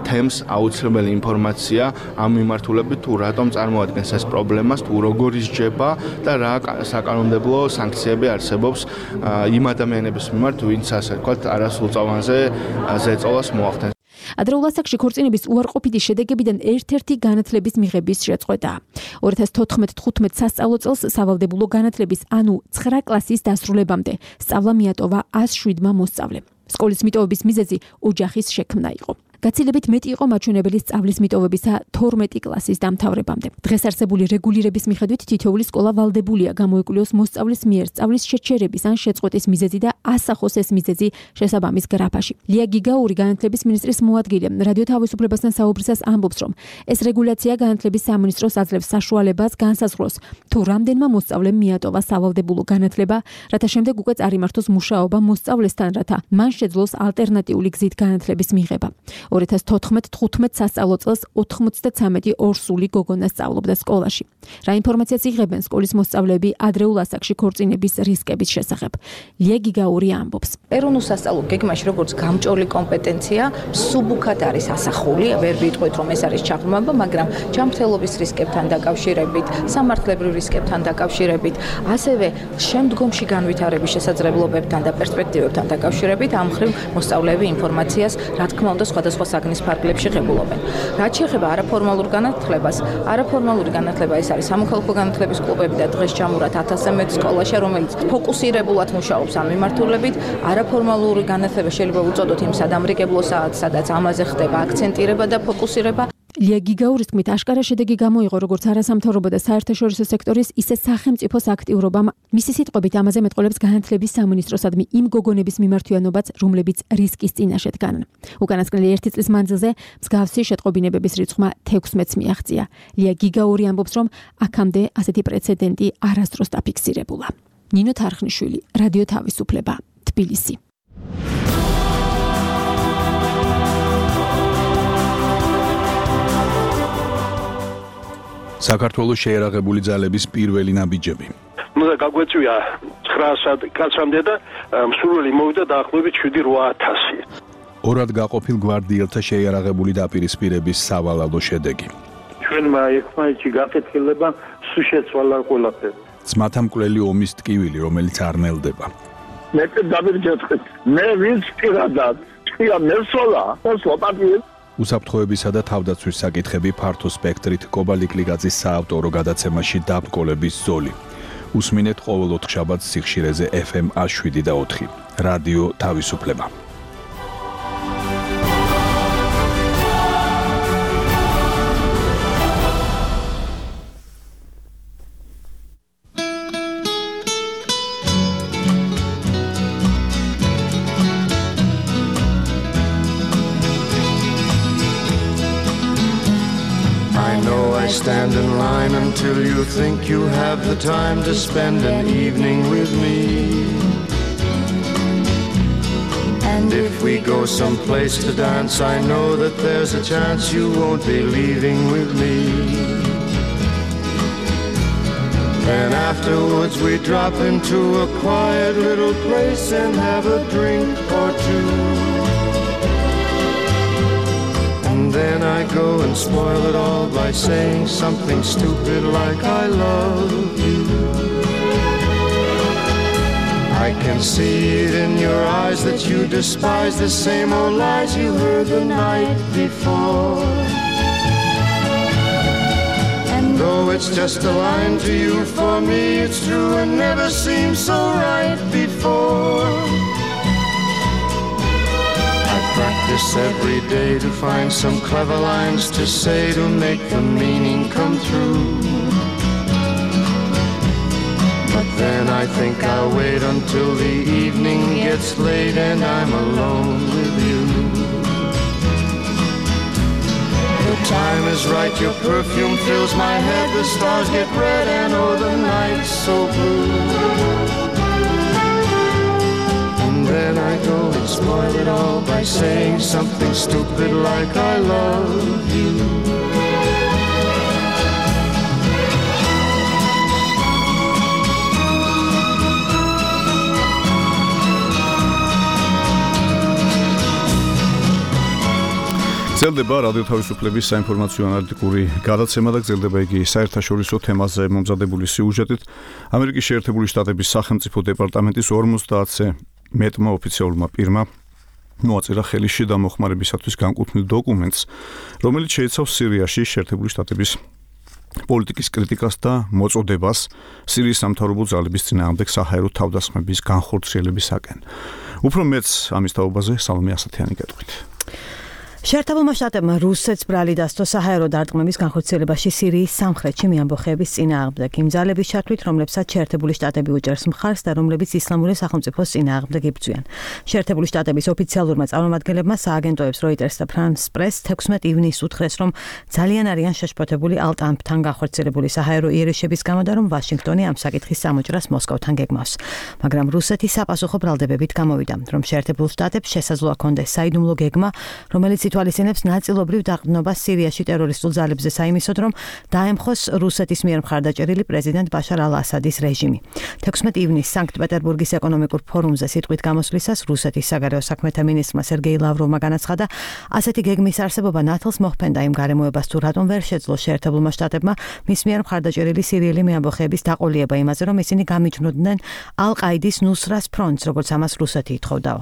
თემს აუცილებელი ინფორმაცია ამ მიმართულებით, თუ რატომ წარმოადგენს ეს პრობლემას, თუ როგორ ისჯება და რა საკანონმდებლო სანქციები არსებობს იმ ადამიანების მიმართ, ვინც ასე ვთქვათ, არასრულწლოვანზე ზეწოლას მოახდენს. ადრეულ ასაკში ქორწინების უარყოფითი შედეგებიდან ერთ-ერთი განათლების მიღების შეწყვეტაა. 2014-15 სასწავლო წელს სავალდებულო განათლების, ანუ 9 კლასის დასრულებამდე სწავლა მიატოვა 107-მა მოსწავლემ. სკოლის მიტოვების მიზეზი ოჯახის შექმნა იყო. გაცილებით მეტი იყო მაჩვენებელი სწავლის მიტოვებისა 12 კლასის დამთავრებამდე. დღეს არსებული რეგულირების მიხედვით თითოეული სკოლა ვალდებულია გამოიკვლიოს მოსწავლის მიერ სწავლის შეჩერების ან შეწყვეტის მიზეზი და ასახოს ეს მიზეზი შესაბამის გრაფაში. ლია გიგაური, განათლების მინისტრის მოადგილე, რადიო თავისუფლებასთან საუბრისას ამბობს, რომ ეს რეგულაცია განათლების სამინისტროს აძლევს საშუალებას განსაზღვროს, თუ რამდენმა მოსწავლემ მიატოვა სავალდებულო განათლება, რათა შემდეგ უკვე წარიმართოს მუშაობა მოსწავლესთან, რათა მან შეძლოს ალტერნატიული გზით განათლების მიღება. 2014-15 სასწავლო წელს 93 ორსული გოგონა სწავლობდა სკოლაში. რა ინფორმაციას იღებენ სკოლის მოსწავლეები ადრეულ ასაკში ქორწინების რისკების შესახებ? ლია გიგაური ამბობს. ეროვნულ სასწავლო გეგმაში როგორც გამჭოლი კომპეტენცია სუბუქად არის ასახული, ვერ ვიტყვით რომ ეს არის ჩაღრმავება, მაგრამ ჯანმრთელობის რისკებთან დაკავშირებით, სამართლებრივ რისკებთან დაკავშირებით, ასევე შემდგომში განვითარების შესაძლებლობებთან და პერსპექტივებთან დაკავშირებით ამ მხრივ მოსწავლეები ინფორმაციას, რა თქმა უნდა, სხვადასხვა საგნის ფარგლებში ღებულობენ. რაც შეეხება არაფორმალურ განათლებას, არაფორმალური განათლება ეს არის სამოქალაქო განათლების კლუბები და დღეს ჩამურათ 1000-ზე მეტ სკოლაში, რომელიც ფოკუსირებულად მუშაობს ამ მიმართულებით. არაფორმალური განათლება შეიძლება უწოდოთ იმ სადამრიგებლო საათს, სადაც ამაზე ხდება აქცენტირება და ფოკუსირება. ლია გიგაურის თქმით, აშკარა შედეგი გამოიღო როგორც არასამთავრობო და საერთაშორისო სექტორის, ისე სახელმწიფოს აქტიურობამ. მისი სიტყვებით, ამაზე მეტყველებს განათლების სამინისტროსადმი იმ გოგონების მიმართვიანობაც, რომლებიც რისკის წინაშე დგანან. უკანასკნელი 1 წლის მანძილზე მსგავსი შეტყობინებების რიცხვმა 16-ს მიაღწია. ლია გიგაური ამბობს, რომ აქამდე ასეთი პრეცედენტი არასდროს დაფიქსირებულა. ნინო თარხნიშვილი, რადიო თავისუფლება, თბილისი. საქართველოს შეერაღებული ძალების პირველი ნაბიჯები. უნდა გაგვეწვია 900 კაცამდე და მსურველი მოვიდა დაახლოებით 7-8000. ორად გაყოფილ გვარდიელთა შეერაღებული დაპირისპირების სავალალო შედეგი. ჩვენმა ერთმანეთში გაკეთილება სულ შეცვალა ყველაფერი. ძმათამკვლელი ომის ტკივილი, რომელიც არ ნელდება. მე დამირჯეთხეთ. მე ვინც პირადად თქვია მესოლა, სლოპატიე უსაფრთხოებისა და თავდაცვის საკითხები ფართო სპექტრით კობალი კლიკაძის საავტორო გადაცემაში დაბრკოლების ზოლი. უსმინეთ ყოველ 4 შაბათს სიხშირეზე FM 107.4. რადიო თავისუფლება. Stand in line until you think you have the time to spend an evening with me. And if we go someplace to dance, I know that there's a chance you won't be leaving with me. Then afterwards we drop into a quiet little place and have a drink or two. And then I go and spoil it all by saying something stupid like I love you. I can see it in your eyes that you despise the same old lies you heard the night before. And though it's just a line to you, for me it's true and never seemed so right before. I practice every day to find some clever lines to say to make the meaning come through. But then I think I'll wait until the evening gets late and I'm alone with you. The time is right, your perfume fills my head, the stars get red and oh the night's so blue. And then I go and spoil it all by saying something stupid like I love you. გრძელდება რადიო თავისუფლების საინფორმაციო ანალიტიკური გადაცემა და გრძელდება იგი საერთაშორისო თემაზე მომზადებული სიუჟეტით. ამერიკის შეერთებული შტატების სახელმწიფო დეპარტამენტის 50-ზე მეტმა ოფიციალურმა პირმა მოაწერა ხელი შიდა მოხმარებისათვის განკუთვნილ დოკუმენტს, რომელიც შეიცავს სირიაში შეერთებული შტატების პოლიტიკის კრიტიკას და მოწოდებას სირიის სამთავრობო ძალების წინააღმდეგ საჰაერო თავდასხმების განხორციელებისაკენ. უფრო მეც ამის თაობაზე სალომე ასათიანი გეტყვით. შეერთებულმა შტატებმა რუსეთს ბრალი დასდო საჰაერო დარტყმების განხორციელებაში სირიის სამხრეთში მიამბოხეების წინააღმდეგ იმ ძალების ჩათვლით, რომლებსაც შეერთებული შტატები უჭერს მხარს და რომლებიც ისლამური სახელმწიფოს წინააღმდეგ იბრძვიან. შეერთებული შტატების ოფიციალურმა წარმომადგენლებმა სააგენტოებს Reuters და France Press 16 ივნისს უთხრეს, რომ ძალიან არიან შეშფოთებული ალტამპთან განხორციელებული საჰაერო იერიშების გამო და რომ ვაშინგტონი ამ საკითხის სამოჭრას მოსკოვთან გეგმავს. მაგრამ რუსეთი საპასუხო ბრალდებებით გამოვიდა, რომ შეერთებულ შტატებს შესაძლოა ჰქონდეს საიდუმლო გეგმა, რომელიც ითვალისწინებს ნაწილობრივ დაყრდნობას სირიაში ტერორისტულ ძალებზე საიმისოდ, რომ დაემხოს რუსეთის მიერ მხარდაჭერილი პრეზიდენტ ბაშარ ალ-ასადის რეჟიმი. 16 ივნისს სანქტ-პეტერბურგის ეკონომიკურ ფორუმზე სიტყვით გამოსვლისას რუსეთის საგარეო საქმეთა მინისტრმა სერგეი ლავროვმა განაცხადა, ასეთი გეგმის არსებობა ნათლს მოჰფენდა იმ გარემოებას, თუ რატომ ვერ შეძლო შეერთებულმა შტატებმა მის მიერ მხარდაჭერილი სირიელი მეამბოხეების დაყოლება იმაზე, რომ ისინი გამიჯნოდნენ ალ-ყაიდის ნუსრას ფრონტს, როგორც ამას რუსეთი ითხოვდაო.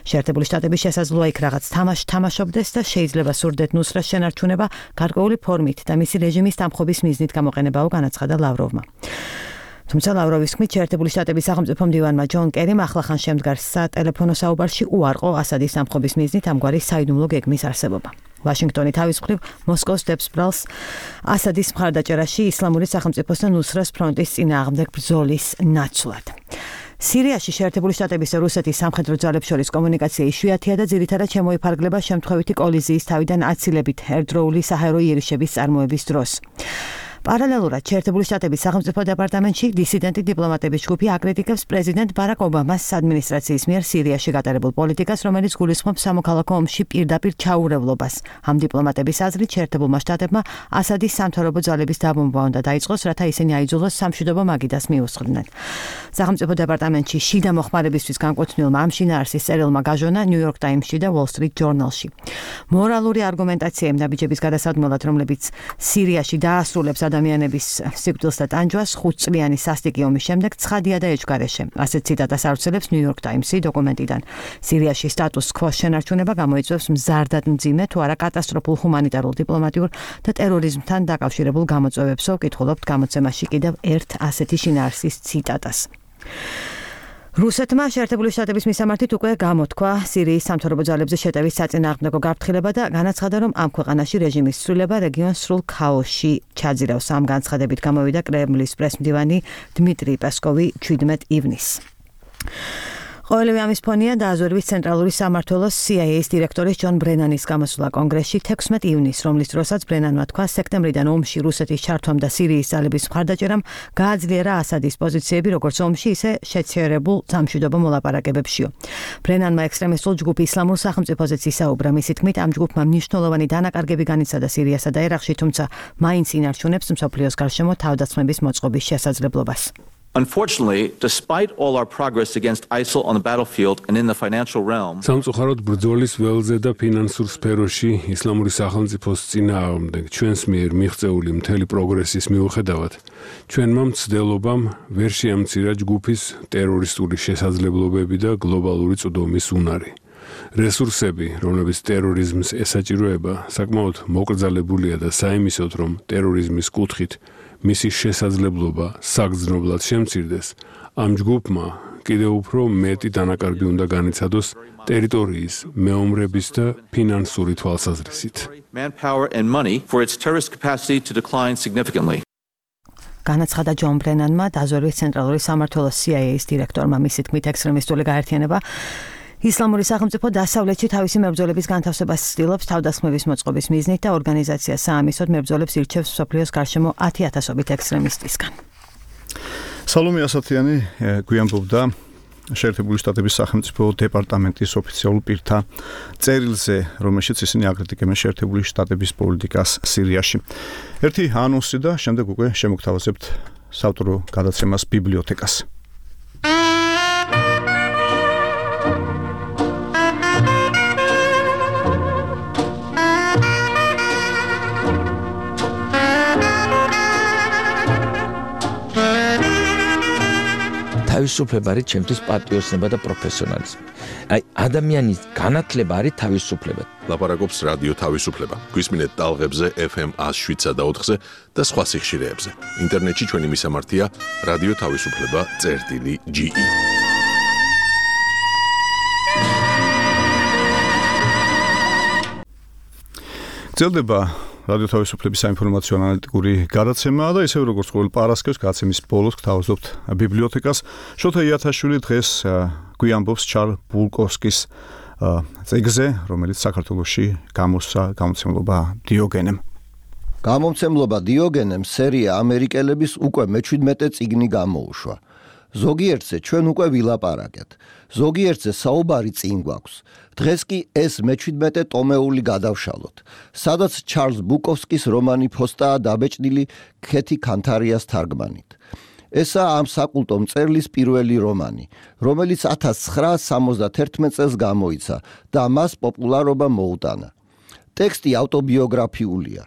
შეერთებული შტატები შესაძლოა იქ რაღაც თამაშობდეს და შეიძლება სურდეთ ნუსრას შენარჩუნება გარკვეული ფორმით და მისი რეჟიმის დამხობის მიზნით გამოყენებაო, განაცხადა ლავროვმა. თუმცა ლავროვის თქმით, შეერთებული შტატების სახელმწიფო მდივანმა ჯონ კერიმ ახლახან შემდგარ სატელეფონო საუბარში უარყო ასადის დამხობის მიზნით ამგვარი საიდუმლო გეგმის არსებობა. ვაშინგტონი თავის მხრივ მოსკოვს დებს ბრალს ასადის მხარდაჭერაში ისლამური სახელმწიფოს და ნუსრას ფრონტის წინააღმდეგ ბრძოლის ნაცვლად. სირიაში შეერთებული შტატების და რუსეთის სამხედრო ძალებს შორის კომუნიკაცია იშვიათია და ძირითადად შემოიფარგლება შემთხვევითი კოლიზიის თავიდან აცილებით ერთდროული საჰაერო იერიშების წარმოების დროს. პარალელურად შეერთებული შტატების სახელმწიფო დეპარტამენტში დისიდენტი დიპლომატების ჯგუფი აკრიტიკებს პრეზიდენტ ბარაკ ობამას ადმინისტრაციის მიერ სირიაში გატარებულ პოლიტიკას, რომელიც გულისხმობს სამოქალაქო ომში პირდაპირ ჩაურევლობას. ამ დიპლომატების აზრით, შეერთებულმა შტატებმა ასადის სამთავრობო ძალების დაბომბვა უნდა დაიწყოს, რათა ისინი აიძულოს სამშვიდობო მაგიდას მიუსხდნენ. სახელმწიფო დეპარტამენტში შიდა მოხმარებისთვის განკუთვნილმა ამ შინაარსის წერილმა გაჟონა New York Times-ში და Wall Street Journal-ში. მორალური არგუმენტაცია იმ ნაბიჯების გადასადმელად, რომლებიც სირიაში დაასრულებს ადამიანების სიკვდილს და ტანჯვას 5 წლიანი სასტიკი ომის შემდეგ ცხადია და ეჭვგარეშე. ასეთ ციტატას ავრცელებს New York Times-ი დოკუმენტიდან. სირიაში სტატუს კვოს შენარჩუნება გამოიწვევს მზარდად მძიმე თუ არა კატასტროფულ ჰუმანიტარულ, დიპლომატიურ და ტერორიზმთან დაკავშირებულ გამოწვევებსო. ვკითხულობთ გამოცემაში კიდევ ერთ ასეთი შინაარსის ციტატას. რუსეთმა შეერთებული შტატების მისამართით უკვე გამოთქვა სირიის სამთავრობო ძალებზე შეტევის საწინააღმდეგო გაფრთხილება და განაცხადა, რომ ამ ქვეყანაში რეჟიმის ცვლილება რეგიონს სრულ ქაოსში ჩაძირავს. ამ განცხადებით გამოვიდა კრემლის პრესმდივანი დმიტრი პესკოვი 17 ივნისს. ყოველივე ამის ფონია დააზვერვის ცენტრალური სამმართველოს CIA-ის დირექტორის ჯონ ბრენანის გამოსვლა კონგრესში 16 ივნის, რომლის დროსაც ბრენანმა თქვა, სექტემბრიდან ომში რუსეთის ჩართვამ და სირიის ძალების მხარდაჭერამ გააძლიერა ასადის პოზიციები როგორც ომში, ისე შეჩერებულ სამშვიდობო მოლაპარაკებებშიო. ბრენანმა ექსტრემისტულ ჯგუფ ისლამურ სახელმწიფოზე ისაუბრა, მისი თქმით, ამ ჯგუფმა მნიშვნელოვანი დანაკარგები განიცადა სირიასა და ერაყში, თუმცა მაინც ინარჩუნებს მსოფლიოს გარშემო თავდასხმების მოწყობის შესაძლებლობას. Unfortunately, despite all our progress against ISIL on the battlefield and in the financial realm, სამწუხაროდ ბრძოლის ველზე და ფინანსურ სფეროში ისლამური სახელმწიფოს წინააღმდეგ ჩვენს მიერ მიღწეული მთელი პროგრესის მიუხედავად, ჩვენმა მცდელობამ ვერ შეამცირა ჯგუფის ტერორისტული შესაძლებლობები და გლობალური წვდომის უნარი. რესურსები, რომლებიც ტერორიზმს ესაჭიროება, საკმაოდ მოკრძალებულია და საიმისოდ, რომ ტერორიზმის კუთხით მისი შესაძლებლობა საგრძნობლად შემცირდეს, ამ ჯგუფმა კიდევ უფრო მეტი დანაკარგი უნდა განიცადოს ტერიტორიის, მეომრების და ფინანსური თვალსაზრისით. manpower and money for its terrorist capacity to decline significantly. განაცხადა ჯონ ბრენანმა, დაზვერვის ცენტრალური სამმართველოს CIA-ის დირექტორმა, მისი თქმით, ექსტრემისტული გაერთიანება ისლამური სახელმწიფო დასავლეთში თავისი მებრძოლების განთავსებას ცდილობს თავდასხმების მოწყობის მიზნით და ორგანიზაცია საამისოდ მებრძოლებს ირჩევს მსოფლიოს გარშემო 10,000-ობით ექსტრემისტისგან. სალომე ასათიანი გვიანბობდა შეერთებული შტატების სახელმწიფო დეპარტამენტის ოფიციალურ პირთა წერილზე, რომელშიც ისინი აკრიტიკებენ შეერთებული შტატების პოლიტიკას სირიაში. ერთი ანონსი და შემდეგ უკვე შემოგთავაზებთ საავტორო გადაცემას ბიბლიოთეკას. თავისუფლება არის ჩემთვის პატრიოტიზმი და პროფესიონალიზმი. აი ადამიანის განათლება არის თავისუფლება. ლაპარაკობს რადიო თავისუფლება. გვისმინეთ ტალღებზე FM 107 და 4-ზე და სხვა სიხშირეებზე. ინტერნეტში ჩვენი მისამართია რადიო თავისუფლება.ge. გრძელდება რადიო თავისუფლების საინფორმაციო ანალიტიკური გადაცემა და ისევ როგორც ყოველ პარასკევს გადაცემის ბოლოს გთავაზობთ ბიბლიოთეკას. შოთა იათაშვილი დღეს გვიამბობს ჩარლ ბულკოვსკის წიგნზე, რომელიც საქართველოში გამოსცა გამოცემლობა დიოგენემ. გამომცემლობა დიოგენემ სერია ამერიკელების უკვე მე-17 წიგნი გამოუშვა. ზოგიერთზე ჩვენ უკვე ვილაპარაკეთ. ზოგიერთზე საუბარი წინ გვაქვს. დღეს კი ეს მე-17 ტომეული გადავშალოთ, სადაც ჩარლზ ბუკოვსკის რომანი ფოსტაა დაბეჭდილი ქეთი ქანთარიას თარგმანით. ესაა ამ საკულტო მწერლის პირველი რომანი, რომელიც 1971 წელს გამოიცა და მას პოპულარობა მოუტანა. ტექსტი ავტობიოგრაფიულია.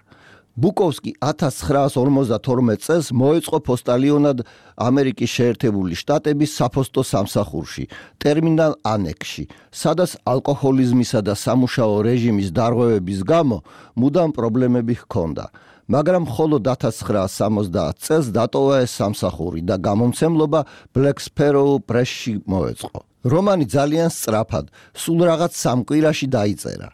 ბუკოვსკი 1952 წელს მოეწყო პოსტალიონად ამერიკის შეერთებული შტატების საფოსტო სამსახურში, ტერმინალ ანექსში, სადაც ალკოჰოლიზმისა და სამუშაო რეჟიმის დარღვევების გამო მუდამ პრობლემები ჰქონდა. მაგრამ მხოლოდ 1970 წელს დატოვა ეს სამსახური და გამომცემლობა Black Sparrow Press-ში მოეწყო. რომანი ძალიან სწრაფად, სულ რაღაც 3 კვირაში დაიწერა.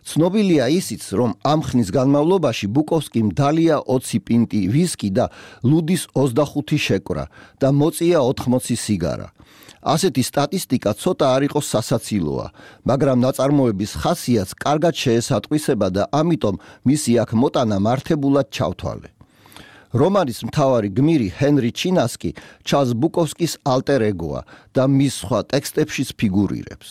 ცნობილია ისიც, რომ ამ ხნის განმავლობაში ბუკოვსკიმ დალია 20 პინტი ვისკი და ლუდის 25 შეკვრა და მოწია 80 სიგარა. ასეთი სტატისტიკა ცოტა არ იყოს სასაცილოა, მაგრამ ნაწარმოების ხასიათს კარგად შეესატყვისება და ამიტომ მისი აქ მოტანა მართებულად ჩავთვალე. რომანის მთავარი გმირი ჰენრი ჩინასკი ჩარლზ ბუკოვსკის ალტერ ეგოა და მის სხვა ტექსტებშიც ფიგურირებს.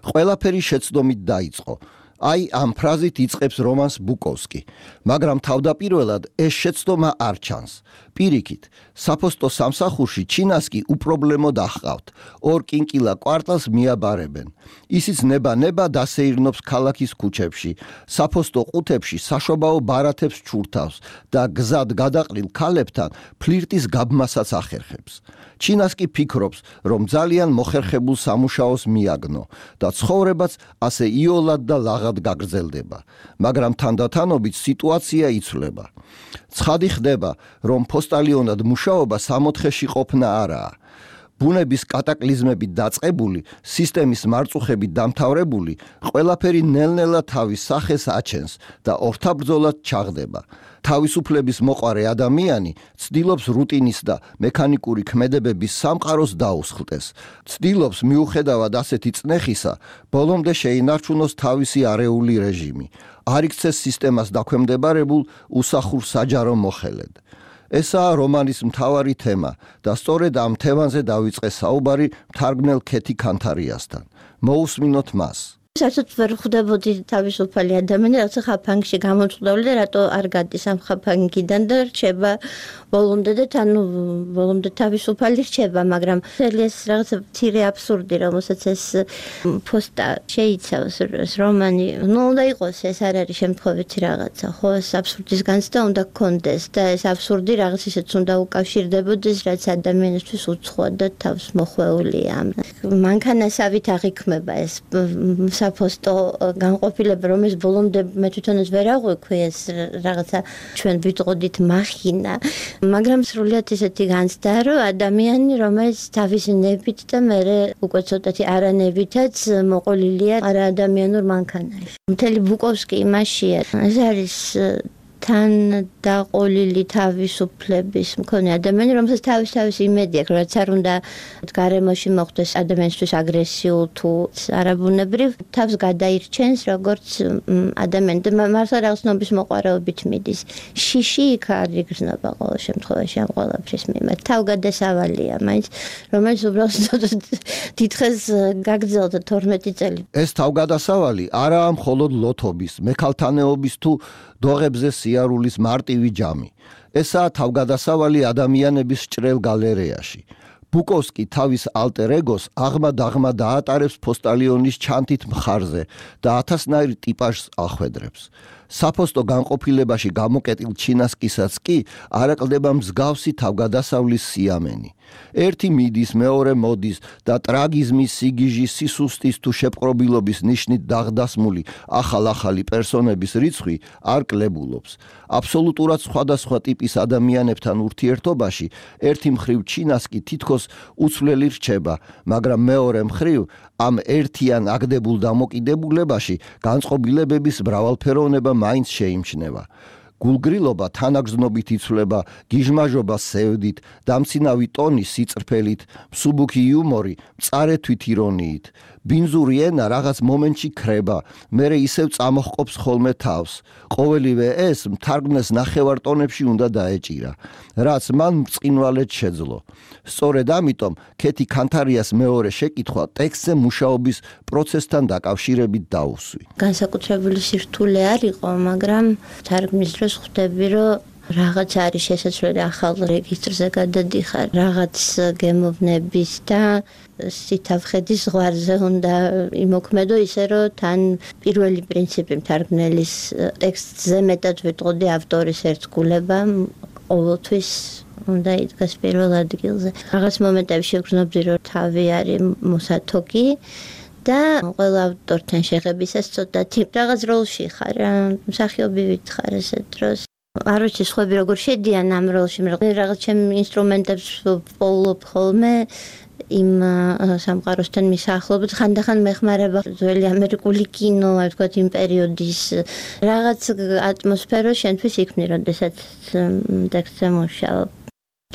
ყველაფერი შეცდომით დაიწყო. აი ამ ფრაზით იწყებს რომანს ბუკოვსკი, მაგრამ თავდაპირველად ეს შეცდომა არ ჩანს. პირიქით, საფოსტო სამსახურში ჩინასკი უპრობლემოდ ახყავთ, 2 კინკილა კვარტალს მიაბარებენ. ისიც ნება დასეირნობს ქალაქის ქუჩებში, საფოსტო ყუთებში საშობაო ბარათებს ჩურთავს და გზად გადაყრილ ქალებთან ფლირტის გაბმასაც ახერხებს. ჩინასკი ფიქრობს, რომ ძალიან მოხერხებულ სამუშაოს მიაგნო და ცხოვრებაც ასე იოლად და ლაღად გაგრძელდება, მაგრამ თანდათანობით სიტუაცია იცვლება. ცხადი ხდება, რომ პოსტალიონად მუშაობა 60-ში ყოფნა არაა. ბუნების კატაკლიზმებით დაწყებული, სისტემის მარწუხებით დამთავრებული, ყველაფერი ნელ-ნელა თავის სახეს აჩენს და ორთაბრძოლად ჩაღდება. თავისუფლების მოყარე ადამიანი ცდილობს რუტინის და მექანიკური ქმედებების სამყაროს დაუსხლტეს. ცდილობს მიუხედავად ასეთი წნეხისა, ბოლომდე შეინარჩუნოს თავისი არეული რეჟიმი, არ იქცეს სისტემას დაქვემდებარებულ უსახურ საჯარო მოხელედ. ესაა რომანის მთავარი თემა და სწორედ ამ თემაზე დავიწყე საუბარი მთარგმნელ ქეთი ქანთარიასთან. მოусმინოთ მას. საერთოდ ვერ ხვდებოდი თავისუფალი ადამიანი, რაცა ხაფანგში გამოწყდული და რატო არ გადის ამ ხაფანგიდან და რჩება ბოლომდე და ბოლომდე თავისუფალი რჩება, მაგრამ ეს რაღაცა მცირე აბსურდი, რომელსაც ეს პოსტა შეიცავს, ეს რომანი, უნდა იყოს, ეს არ არის შემთხვევითი რაღაცა, ხო, ეს აბსურდის განცდა უნდა გქონდეს და ეს აბსურდი რაღაც ისეც უნდა უკავშირდებოდეს, რაც ადამიანისთვის უცხოა და თავს მოხვეულია. მანქანასავით აღიქმება ეს საფოსტო განყოფილება, რომელიც ბოლომდე მე თვითონაც ვერ აღვიქვი ეს რაღაცა ჩვენ ვიტყოდით მახინა, მაგრამ სრულიად ისეთი განცდა, რომ ადამიანი, რომელიც თავისი ნებით და მე უკვე ცოტათი არანებითაც მოყოლილია არაადამიანურ მანქანაში. მთელი ბუკოვსკი იმაშია. ეს არის თან დაყოლილი თავისუფლების მქონე ადამიანი, რომელსაც თავის იმედი აქვს, რაც არ უნდა გარემოში მოხდეს ადამიანისთვის აგრესიულ თუ არაბუნებრივ, თავს გადაირჩენს როგორც ადამიანი და მართლა რაღაც ნობის მოყვარეობით მიდის. შიში იქ არ იგრძნობა ყოველ შემთხვევაში ამ ყველაფრის მიმართ. თავგადასავალია მაინც, რომელიც უბრალოდ დიდხეს გაგრძელდა 12 წელი. ეს თავგადასავალი არაა მხოლოდ ლოთობის, მექალთანეობის თუ დოღებზე სიარულის მარტივი ჯამი. ესაა თავგადასავალი ადამიანების ჭრელ გალერეაში. ბუკოვსკი თავის ალტერ ეგოს აღმა დაატარებს ფოსტალიონის ჩანთით მხარზე და ათასნაირ ტიპაჟს ახვედრებს. საფოსტო განყოფილებაში გამოკეტილ ჩინასკისაც კი არაკლდება მსგავსი თავგადასავლის სიამენი. ერთი მიდის, მეორე მოდის და ტრაგიზმის, სიგიჟის, სისუსტის თუ შეპყრობილობის ნიშნით დაღდასმული ახალ-ახალი პერსონების რიცხვი არ კლებულობს. აბსოლუტურად სხვადასხვა ტიპის ადამიანებთან ურთიერთობაში ერთი მხრივ ჩინასკი თითქოს უცვლელი რჩება, მაგრამ მეორე მხრივ ამ ერთიან აგდებულ დამოკიდებულებაში განწყობილებების მრავალფეროვნება მაინც შეიმჩნევა. გულგრილობა თანაგრძნობით იცვლება გიჟმაჟობა სევდით, დამცინავი ტონი სიწრფელით, მსუბუქი იუმორი მწარე თვითირონიით. ბინძური ენა რაღაც მომენტში ქრება, მერე ისევ წამოჰყოფს ხოლმე თავს. ყოველივე ეს მთარგმნელს ნახევარ ტონებში უნდა დაეჭირა, რაც მან მწყინვალედ შეძლო. სწორედ ამიტომ ქეთი ქანთარიას მეორე შეკითხვა ტექსტზე მუშაობის პროცესთან დაკავშირებით დაუსვი. განსაკუთრებული სირთულე არ იყო, მაგრამ თარგმნის დროს ხვდები, რომ რაღაც არის შესაძლებელი ახალ რეგისტრზე გადადიხარ, რაღაც გემოვნების და სითავხედის ზღვარზე უნდა იმოქმედო ისე, რომ თან პირველი პრინციპი მთარგმნელის ტექსტზე მეტად ვიტყოდი ავტორის ერთგულება ყოველთვის უნდა იდგას პირველ ადგილზე. რაღაც მომენტებში ვგრძნობდი, რომ თავი არის მოსათოგი და ყველა ავტორთან შეღებისას ცოტათი რაღაც როლში ხარ, მსახიობი ვითხარ ესეთ დროს. არ ვიცი სხვები როგორ შედიან ამ როლში, რაღაც ჩემ ინსტრუმენტებს ვპოულობ ხოლმე იმ სამყაროსთან მისახლობით, ხანდახან მეხმარება ძველი ამერიკული კინო, აი ვთქვათ იმ პერიოდის რაღაც ატმოსფერო შენთვის იქმნი, როდესაც ტექსტზე მუშაობ.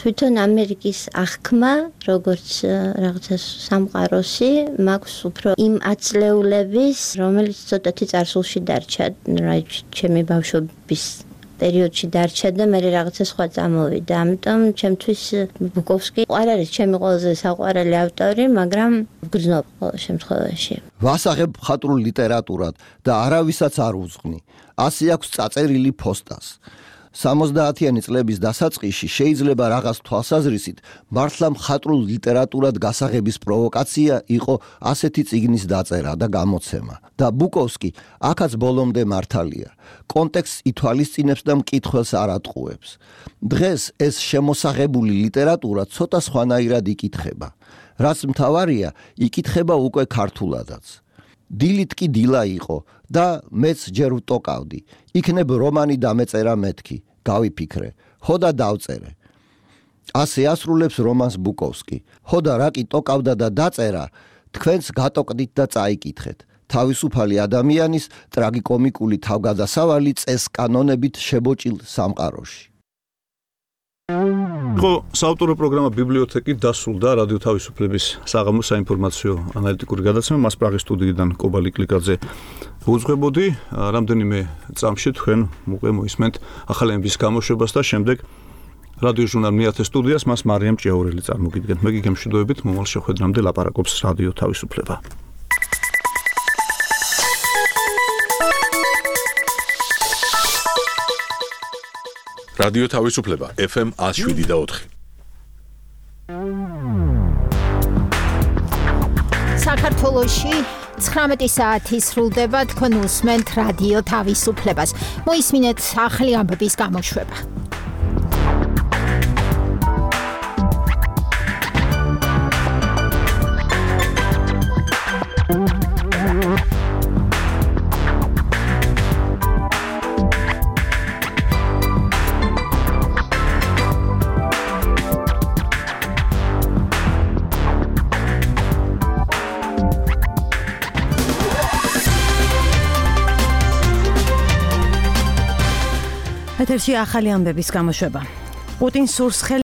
თვითონ ამერიკის აღქმა, როგორც რაღაცა სამყაროსი, მაქვს უფრო იმ აწლეულების, რომელიც ცოტათი წარსულში დარჩა, ჩემი ბავშვობის პერიოდში დარჩა და მე რაღაცა სხვა წამოვიდა. ამიტომ ჩემთვის ბუკოვსკი არ არის ჩემი ყველაზე საყვარელი ავტორი, მაგრამ ვგრძნობ ყოველ შემთხვევაში. ვასაღებ მხატვრულ ლიტერატურად და არავისაც არ უძღვნი. ასე აქვს წაწერილი ფოსტას. 70-იანი წლების დასაწყისში შეიძლება რაღაც თვალსაზრისით მართლა მხატვრულ ლიტერატურად გასაღების პროვოკაცია იყო ასეთი წიგნის დაწერა და გამოცემა. და ბუკოვსკი აქაც ბოლომდე მართალია. კონტექსტს ითვალისწინებს და მკითხველს არ ატყუებს. დღეს ეს შემოსაღებული ლიტერატურა ცოტა სხვანაირად იკითხება. რაც მთავარია, იკითხება უკვე ქართულადაც. დილით კი დილა იყო და მეც ჯერ ვტოკავდი. იქნებ რომანი დამეწერა მეთქი, გავიფიქრე, ხოდა დავწერე. ასე ასრულებს რომანს ბუკოვსკი. ხოდა რა კი ტოკავდა და დაწერა, თქვენც გატოკდით და წაიკითხეთ. თავისუფალი ადამიანის ტრაგიკომიკული თავგადასავალი წესკანონებით შებოჭილ სამყაროში. ხო, საავტორო პროგრამა ბიბლიოთეკი დასრულდა რადიო თავისუფლების საღამოს საინფორმაციო ანალიტიკური გადაცემა. მას პრაღის სტუდიიდან კობალი კლიკაძე უძღვებოდი. რამდენიმე წამში თქვენ უკვე მოისმენთ ახალების გამოშვებას და შემდეგ რადიო ჟურნალ მეათე სტუდიას მას მარიამ ჭიაურელი წარმოგიდგენთ. მე გიგემშვიდობებით მომავალ შეხვედრამდე ლაპარაკობს რადიო თავისუფლება. რადიო თავისუფლება FM 107.4. საქართველოში 19 საათი სრულდება, თქვენ უსმენთ რადიო თავისუფლებას. მოისმინეთ ახალი ამბების გამოშვება. ეთერში ახალი ამბების გამოშვება. პუტინს სურს